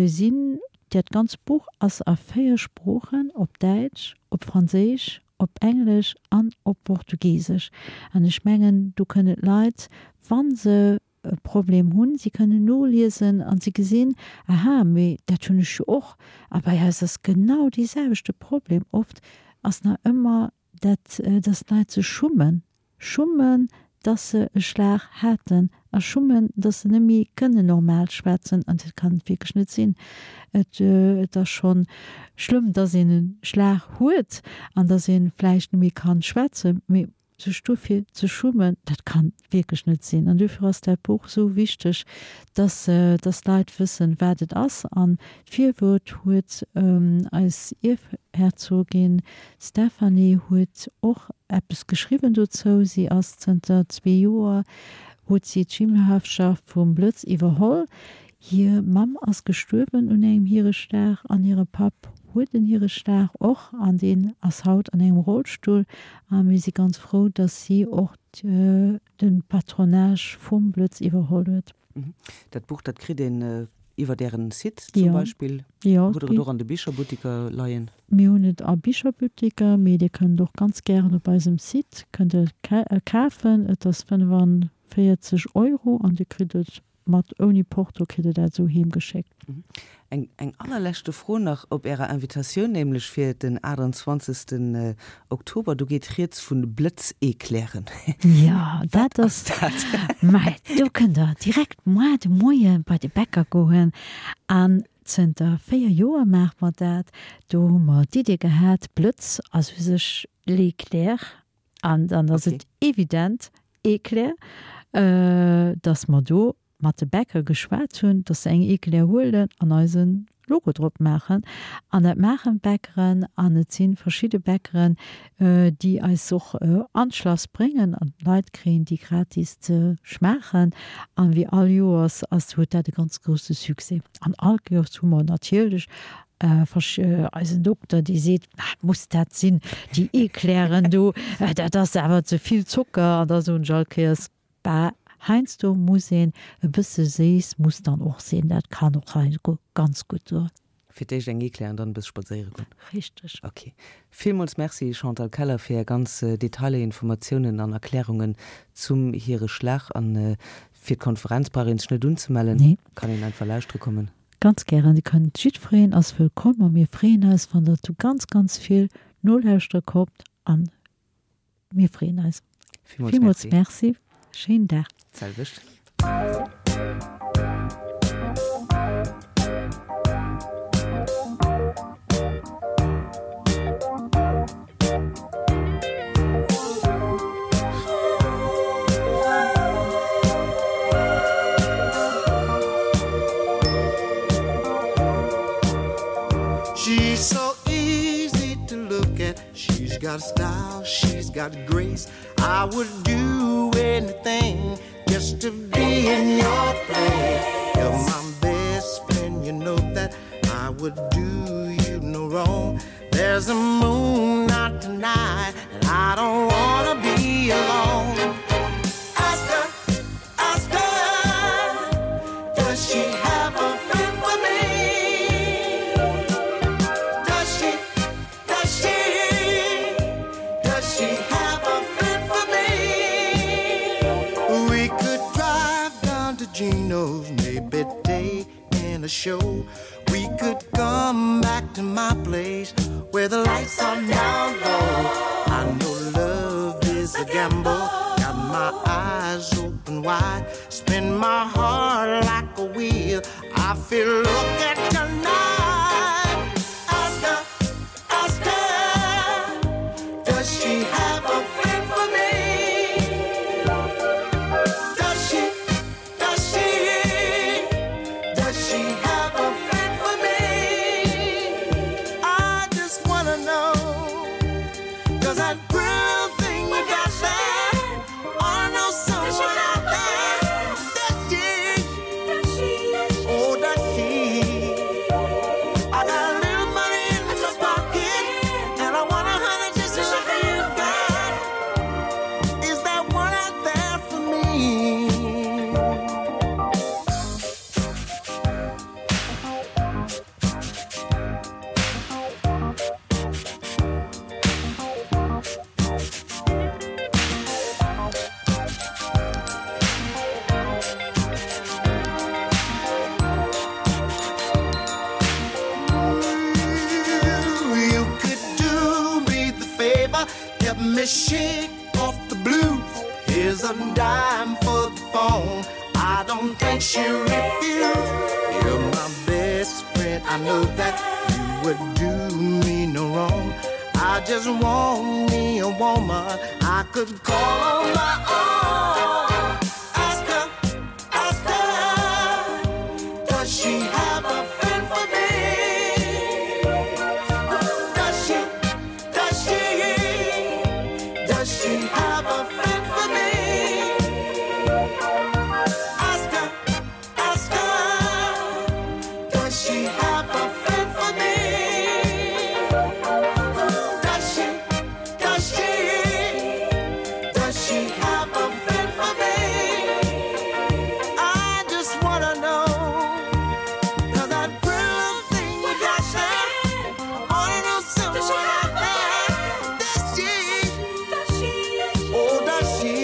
sinn Dat ganzt Buch ass a 4 Sproochen, op Däitsch, op Franséisch, op Englesch an op Portugisesch. An ech mengen, do kënnen d'Leit, wa se e Problem hunn, si kënnen noliesen a si gesinn, aha, mee dat hunn ech jo och. A bei eis ass genau dee selwechte Problem. Oft ass nach ëmmer dat, dass d'Leit sech schummen, Schummen, dass se e Schlag haten a schummen, dass se net méi kënnen normal schwätzen. An dat kann et wierklech net sinn. Et, et ass scho schlëmm, dass een e Schlag huet an dass ee vläicht net méi kann schwätzen, mee sech dofir ze schummen, dat kann wierklech net sinn. An dofir ass dat Buch esou wichteg, dass, dass d'Leit wëssen, wat et ass. An d'Virwuert huet eis Ierfherzogin D'Stephanie huet och eppes geschriwwen dozou. Si ass zënter zwee Joer huet si d'Schirmherrschaft vum Blëtz iwwerholl. Hir Mamm ass gestuerwen un engem Hiereschlag an hire Papp huet en Hiereschlag och an deen ass haut an engem Rollstull. A mir si ganz frou, dass si och de Patronage vum Blëtz iwwerholl huet. Dat Buch, dat kritt een iwwert Ären Site zum Beispill? Jo. Hutt Der et och an de Bicherbuttiker leien? Mir hunn et a Bicherbuttiker, mee Dir kënnt och ganz gären op eisem Site kënnt Der et kafen. Et ass 45 Euro an Dir kritt et mat ouni Porto kritt Der dat esou heem geschéckt. Eng eng allerleschte Fro nach op Ärer Invitatioun, nämlech fir den 28. Oktober, do geet rieds vu Blëtz-Eclairen. Jo, dat ass dat. Mä do kënnt Der direkt moar de Moie bei de Bäcker goen an zënter 4 Joer maache mer dat. Do hu mer d'Idee gehat, Blëtz ass u sech l'éclair an dann ass et evident, Eclair, dass mer do mat de Bäcker geschwat hunn, dass se eng Eclair huelen an eise Logo drop maachen. An dat maachen d'Bäckeren an et si verschidde Bäckeren, déi eis och an d'Schlass bréngen an d'Leit kréien déi gratis ze schmaachen. An wéi all Joers ass, huet dat e ganz grousse Succès. An all Joers hu mer natierlech eisen Dokter, dee seet, Muss dat sinn, déi Eclairen do, dat ass awer ze vill Zocker. An da soen ech all Kéiers, Bah, heiansdo muss een e bësse séiss muss dann och sinn, dat kann och heiansdo ganz gutt doen. Fir d'éischt eng Eclair an dann e bësse spadséiere goen. Richteg. Ok. Villmools Merci Chantal Keller fir Är ganz Detailer, Informatiounen an Erklärungen zum hire Schlag. An fir d'Konferenz brauch een sech net unzemellen, Nee. kann een einfach lauschtere kommen. Ganz gären, Dir kënnt, jiddwereen ass wëllkomm a mir freeën eis wann der zu ganz ganz vill nolauschtere kommt an Mir freeën eis. Villmools Merci. Schéinen Dag. D'selwecht. She's so easy to look at She's got style, she's got grace. I would do anything just to be in your place. You're my best friend, you know that. would do you no wrong. There's a moon out tonight, and I don't wanna be alone. Ask her, ask her, does she have a friend for me? Does she, does she, does she have a friend for me? We could drive down to Gino's, maybe take in a show. We could come back to my place where the lights are down low. I know love is a gamble. Got my eyes open wide. Spin my heart like a wheel. I feel look at tonight. Ask her, ask her, does she have a friend for me? Does she, does she, does she have a friend for me? I just wanna know. Cause that real thing you got there, I know someone out there. Does she? Oh, does she? I got a little money in my pocket, and I want a hundred just like you got. Is that one out there for me? You could do me the favor, help me shake off the blues. Here's a dime for the phone. I don't think she'll refuse. You're my best friend, I know that you would do me no wrong. I just want me a woman I could call on my own. Ask her, ask her, does she have a friend for me? Does she, does she, does she have a friend for me? Ask her, ask her, does she have a friend for me? Does she, does she, does she have a friend for me? I just wanna know. Cause that pretty thing you got there, wanna know someone out there. Does she? Oh, does she?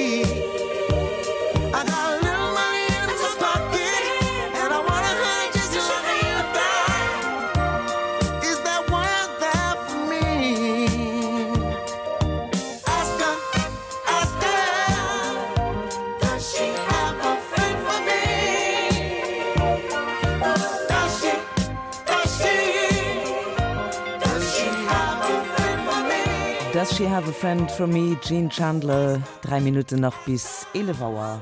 I got a little money in my pocket, and I want a hundred just like you got. Is that one out there for me? Ask her, ask her, does she have a friend for me? Does she, does she, does she have a friend for me? Does she have a friend for me? Gene Chandler, 3 Minutten nach bis 11 Auer.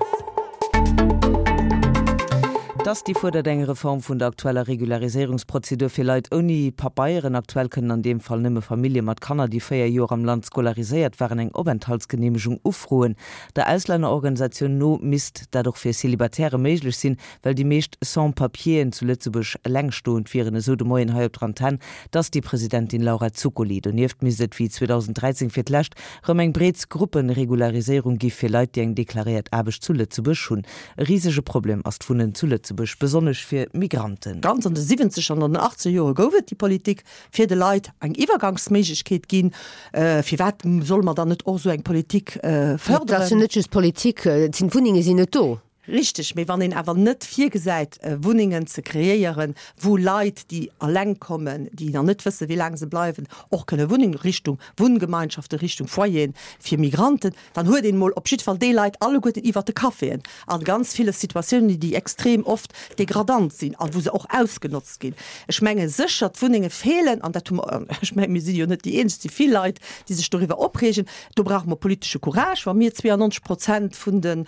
D'Asti fuerdert eng Reform vun der aktueller Regulariséierungsprozedur fir Leit ouni Pabeieren. Aktuell kënnen an deem Fall nëmme Famillje mat Kanner, déi 4 Joer am Land scolariséiert waren, eng Openthaltsgeneemegung ufroen. Der Auslännerorganisatioun no misst dat och fir Célibatairë méiglech sinn, well déi meescht Sans-papieren zu Lëtzebuerg elengstoend wieren, esou de Moien hei op der Antenn d'Asti-Presidentin Laura Zuccoli. Donieft misst et wéi 2013 fir d'lescht rëm eng breet Grupperegulariséierung gi fir Leit, déi eng deklaréiert Aarbecht zu Lëtzebuerg hunn. E risege Problem ass d'Wunnen zu Lëtzebuerg, besonnesch fir Migranten. Ganz an de siwwenzeger an an den achtzeger Jore gouf et déi Politik, fir de Leit eng Iwwergangsméiglechkeet ginn. Firwat solle mer dann net och esou eng Politik fërderen? Et ass jo net just Politik, et sinn, d'Wunnenge sinn net do. Richteg, mee wann een awer net virgesäit, Wunnengen ze kreéieren, wou Leit, déi eleng kommen, déi nach net wëssen, wéi laang se bleiwen, och kënne wunnen, Richtung Wunngemeinschaften, Richtung Foyeren fir Migranten, dann huet een emol op jidde Fall déi Leit alleguerten iwwert de Caféen a ganz ville Situatiounen, déi extrem oft degradant sinn a wou se och ausgenotzt ginn. Ech menge sécher, d'Wunnenge feelen, an dat hu mer, ech menge mir si jo net déi eenzeg, et si vill Leit, déi sech doriwwer opreegen. Do brauche mer politesche Courage. Wa mir 92 Prozent vun den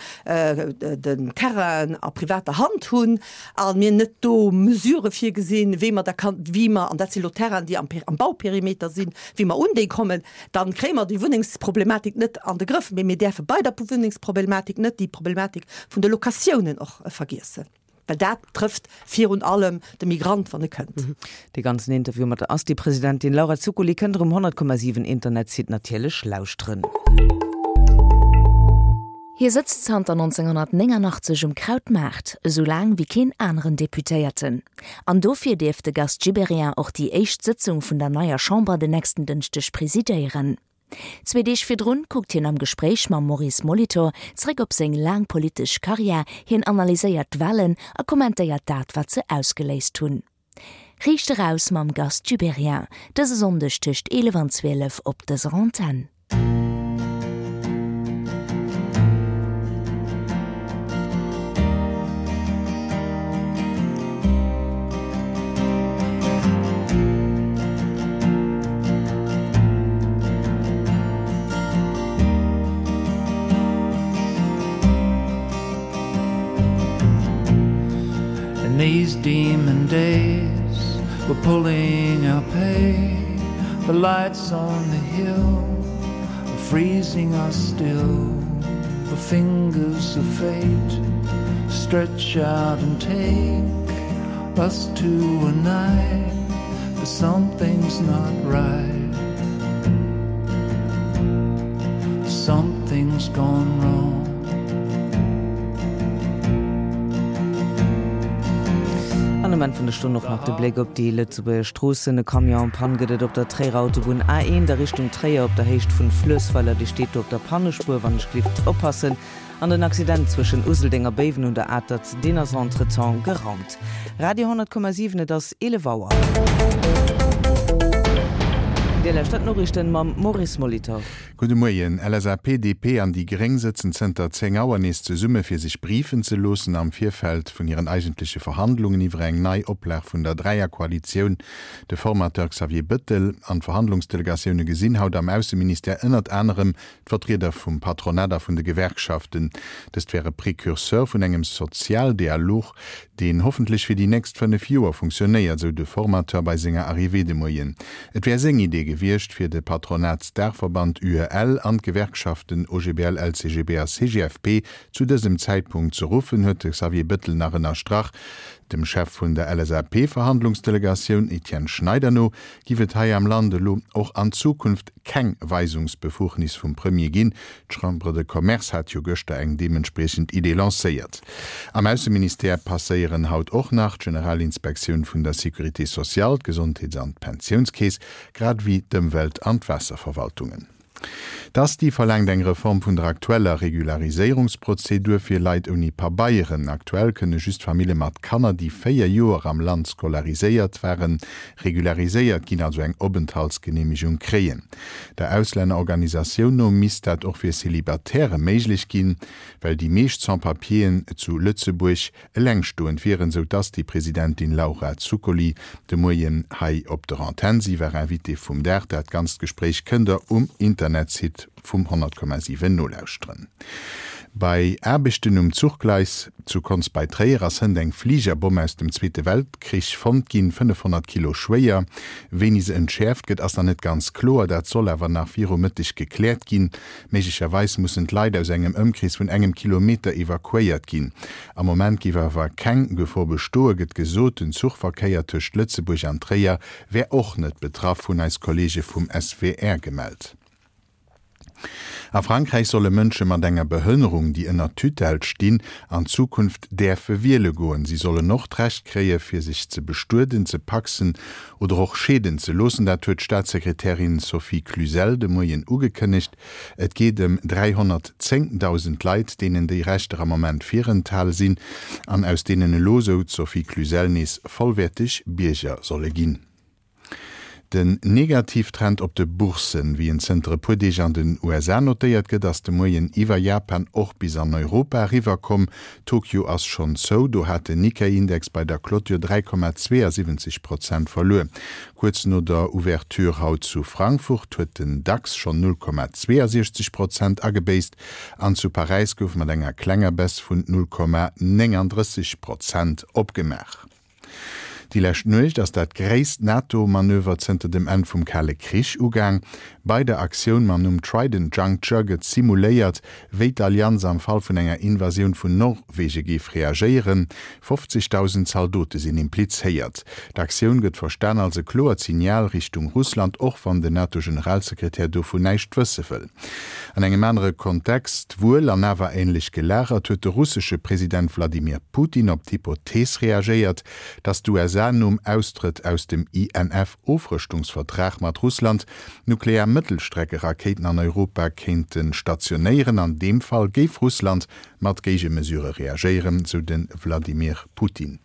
Terrainen a privater Hand hunn a mir net do Mesurë virgesinn, wéi mer da kann, wéi mer, an dat si lo Terrainen, déi am Bauperimeter sinn, wéi mer un déi kommen, da kréie mer déi Wunnengsproblematik net an de Grëff. Mee mir däerfe bei der Wunnengsproblematik net déi Problematik vun de Locatiounen och vergiessen. Well dat trëfft virun allem de Migrant, wann e kënnt. Dee ganzen Interview mat der Asti-Presidentin Laura Zuccoli kënnt der um 100,7 Internetsite natierlech lauschteren. Hie sëtzt zanter 1989 um Krautmaart, esou laang wéi keen aneren Deputéierten. An dofir dierf de Gast Gibéryen och déi éischt Sëtzung vun der neier Chamber den nächsten Dënschdeg presidéieren. Zwee Deeg virdrun kuckt hien am Gespréich mam Maurice Molitor zréck op seng laang politesch Karriär, hien analyséiert d'Walen a kommentéiert dat, wat se ausgeléist hunn. Riicht eraus mam Gast Gibéryen, dëse Sonndeg tëscht 11 an 12 op dëser Antenn. In these demon days we're pulling our pay The lights on the hill are freezing us still The fingers of fate stretch out and take us to a night But something's not right Something's gone wrong An um Enn vun der Stonn och nach de Bléck op déi Lëtzebuerger Stroossen. E Camion en panne gëtt et op der Tréierer Autobunn A1 a Richtung Tréier op der Héicht vun Fluessweiler. Dee steet do op der Pannespuer, wann ech glift oppassen. An den Accident zwëschen Useldeng a Béiwen un der Atert, deen ass entretemps geraumt. Radio 10,7, et ass 11 Auer. Dir lauschtert d'Noriichten mam Maurice Molitor. Gudde Moien. LSAP, DP an déi Gréng sëtzen zënter 10 Auer nees zesumme fir sech briefen ze loossen am Virfeld vun hiren eigentleche Verhandlungen iwwer eng nei Oplag vun der Dräierkoalitioun. De Formateur Xavier Bëttel an d'Verhandlungsdelegatioune gesinn haut am Ausseministère ënnert anerem d'Vertrieder vum Patronat a vun de Gewerkschaften. Dëst wär e Precurseur vun engem Sozialdialog, deen hoffentlech fir déi nächst 5 Joer funktionéiert, sou de Formateur bei senger Arrivée de Moien. Et wär seng Idee gewiescht, fir de Patronatsdaachverband UEL an d'Gewerkschaften OGBL, LCGB a CGFP zu dësem Zäitpunkt ze ruffen, huet de Xavier Bëttel nach ënnerstrach. Dem Chef vun der LSAP-Verhandlungsdelegatioun Etienne Schneider no giff et hei am Land elo och an Zukunft keng Weisungsbefugnis vum Premier ginn. D'Chambre de Commerce hat jo gëschter eng deementspriechend Idee lancéiert. Am Ausseministère passéieren haut och nach d'Generalinspektioun vun der Sécurité sociale, d'Gesondheets an d'Pensiounskeess, grad ewéi d'Ëmwelt an d'Waasserverwaltungen. D'Asti verlaangt eng Reform vun der aktueller Regulariséierungsprozedur fir Leit ouni Pabeieren. Aktuell kënne just Famille mat Kanner, déi 4 Joer am Land scolariséiert waren, regulariséiert ginn, also eng Openthaltsgeneemegung kréien. Der Auslännerorganisatioun no misst dat och fir Célibatairë méiglech ginn, well déi meescht Sans-papieren zu Lëtzebuerg Elengstoend wieren, sou d'Asti-Presidentin Laura Zuccoli de Moien hei op der Antenn. Si war Invitée vum Dag. Dat ganzt Gespréich kënnt der um Internetsite vum 100,7 nolauschteren. Bei Aarbechten um Zuchgleis zu Konz bei Tréier ass hënt eng Fligerbomm aus dem Zweete Weltkrich fonnt ginn, 500 Kilo schwéier. Wéini se entschäerft gëtt, ass nach net ganz kloer. Dat soll awer nach viru Mëtteg gekläert ginn. Méiglecherweis mussen d'Leit aus engem Ëmkrees vun engem Kilometer evakuéiert ginn. Am Moment géif awer keng Gefor bestoen, gëtt gesot. Den Zuchverkéier tëscht Lëtzebuerg an Tréier wär och net betraff, hunn eis Kolleege vum SWR gemellt. A Frankräich solle Mënsche mat enger Behënnerung, déi ënner Tutelle stinn, an Zukunft däerfe wiele goen. Si sollen och d'Recht kréie fir sech ze bestueden, ze pacsen oder och scheeden ze loossen. Dat huet d'Staatssekretärin Sophie Cluzel de Moien ugekënnegt. Et geet ëm 310.000 Leit, deenen déi Rechter am Moment virenthale sinn an aus deenen elo, sou d'Sophie Cluzel, nees vollwäerteg Bierger solle ginn. Den Negativtrend op de Bourssen, wéi en zënter e puer Deeg an den USA notéiert gëtt, ass de Moien iwwer Japan och bis an Europa eriwwerkomm. Tokio ass schonn zou, do hat den Nikkei-Index bei der Clôture 3,72 Prozent verluer. Kuerz no der Ouverture haut zu Frankfurt huet den Dax schonn 0,62 Prozent agebéisst an zu Paräis gouf mat enger klenger Baisse vun 0,39 Prozent opgemaach. Déi lescht Nuecht ass dat gréisst NATO-Manöver zënter dem Enn vum Kale Krich ugaang. Bei der Aktioun mam Numm Trident Juncture gëtt simuléiert, wéi d'Allianz am Fall vun enger Invasioun vun Norwege géif reagéieren. 50.000 Zaldote sinn implizéiert. D'Aktioun gëtt verstan als e kloert Signal Richtung Russland, och wann den NATO-Generalsekretär dovun näischt wësse wëll. An engem anere Kontext, wuel an awer änlech gelagert, huet de russesche President Wladimir Putin op d'Hypothees reagéiert, datt d'USA nom Austrëtt aus dem INF-Ofrëschtungsvertrag mat Russland nuklear Mëttelstreckerakéiten an Europa kéinte stationéieren. An deem Fall géif Russland mat Géigemesurë reagéieren, sou de Wladimir Putin.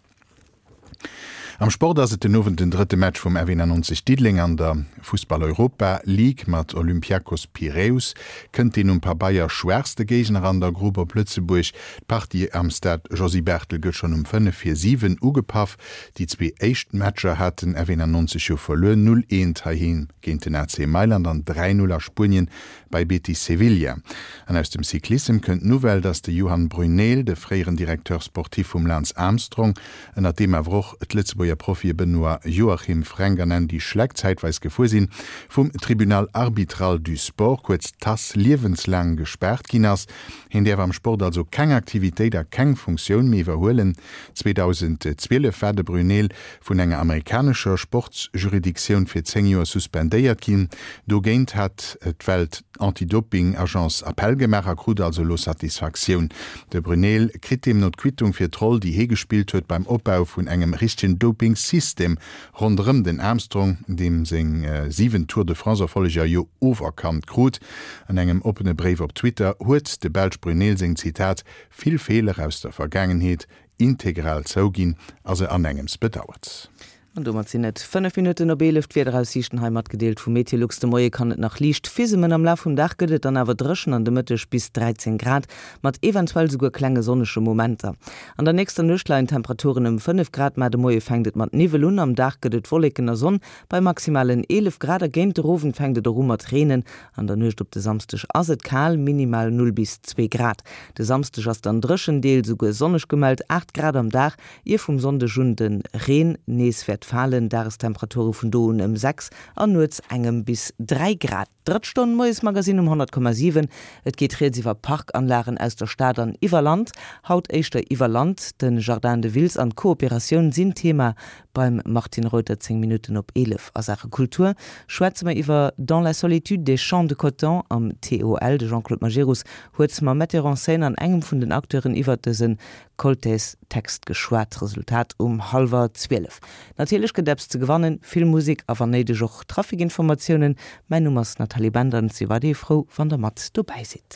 Am Sport ass et den Owend den drëtte Match vum F91 Diddeleng an der Fussball-Europa League. Mat Olympiakos Piräus kënnt deen um Pabeier schwaachste Géigner an der Grupp op Lëtzebuerg. D'Partie am Stade Josy Barthel gëtt schonn um 5 vir 7 ugepaff. Déi zwee éischt Matcher hat den F91 jo verluer, 0, 1 heiheem géint den AC Mailand an 3, 0 a Spuenien bei Betis Sevilla. An aus dem Cyclissem kënnt d'Nouvelle, datt de Johan Bruyneel, de fréieren Directeur sportif vum Lance Armstrong, ënnert deem awer och d'Lëtzebuerger Profie Benoît Joachim, Fränk an Andy Schleck zäitweis gefuer sinn, vum Tribunal arbitral du sport, kuerz TAS, liewenslaang gespaart ginn ass. Hien däerf am Sport also keng Aktivitéit a keng Funktioun méi iwwerhuelen. 2012 war de Bruyneel vun enger amerikanescher Sportsjuridictioun fir 10 Joer suspendéiert ginn. Dogéint hat d'Welt-Anti-Doping-Agence Appell gemaach a krut also elo Satisfaktioun. De Bruyneel kritt deemno d'Quittung fir d'Roll, déi hie gespillt huet beim Opbau vun engem richtegen Doping-System ronderëm den Armstrong, deem seng 7 Tour de France-Erfolleger jo oferkannt krut. An engem oppene Bréif op Twitter huet de Belsch Bruyneel seng, Zitat, vill Feeler aus der Vergaangenheet integral zouginn a se anengems bedauert. An domat sinn et 5 Minutten op 11. D'Wiederaussiichten hei matgedeelt vu Meteolux. De Moie kann et nach liicht fisemen, am Laf vum Dag gëtt et dann awer dréchen an de Mëtteg bis 13 Grad, mat eventuell souguer klenge sonnege Momenter. An der nächster Nuecht leien d'Temperaturen ëm 5 Grad, mä de Moie fänkt et mat Niwwel un. Am Dag gëtt et Wolleken a Sonn bei maximalen 11 Grad a géint de Owend fänkt et och u mat reenen. An der Nuecht op de Samsdeg ass et kal, minimal 0 bis 2 Grad. De Samsdeg ass dann dréchen, deels esouguer sonneg gemellt, 8 Grad am Dag, ier vum Sonndeg un de Reen nees wäert falen. Dagestemperature vun do un ëm 6 an nuets engem bis 3 Grad. Drëtt Stonn Moiesmagazine um 100,7. Et geet rieds iwwer Parkanlagen aus der Stad an iwwer Land. Haut éischter iwwer Land. De Jardin de Wiltz an d'Kooperatioun sinn Thema Beim Martine Reuter 10 Minutten op 11 a Saache Kultur schwätze mer iwwer Dans la solitude des champs de coton am TOL. De Jean-Claude Majerus huet mam Metteur en scène an engem vun den Acteuren iwwer dëse Koltés-Text geschwat. Resultat um hallwer 12. Natierlech gëtt eppes ze gewannen, vill Musek a wann néideg och Trafikinformatiounen. Mäin Numm ass Nathalie Bender an et si weiderhi frou wann der mat dobäi sidd.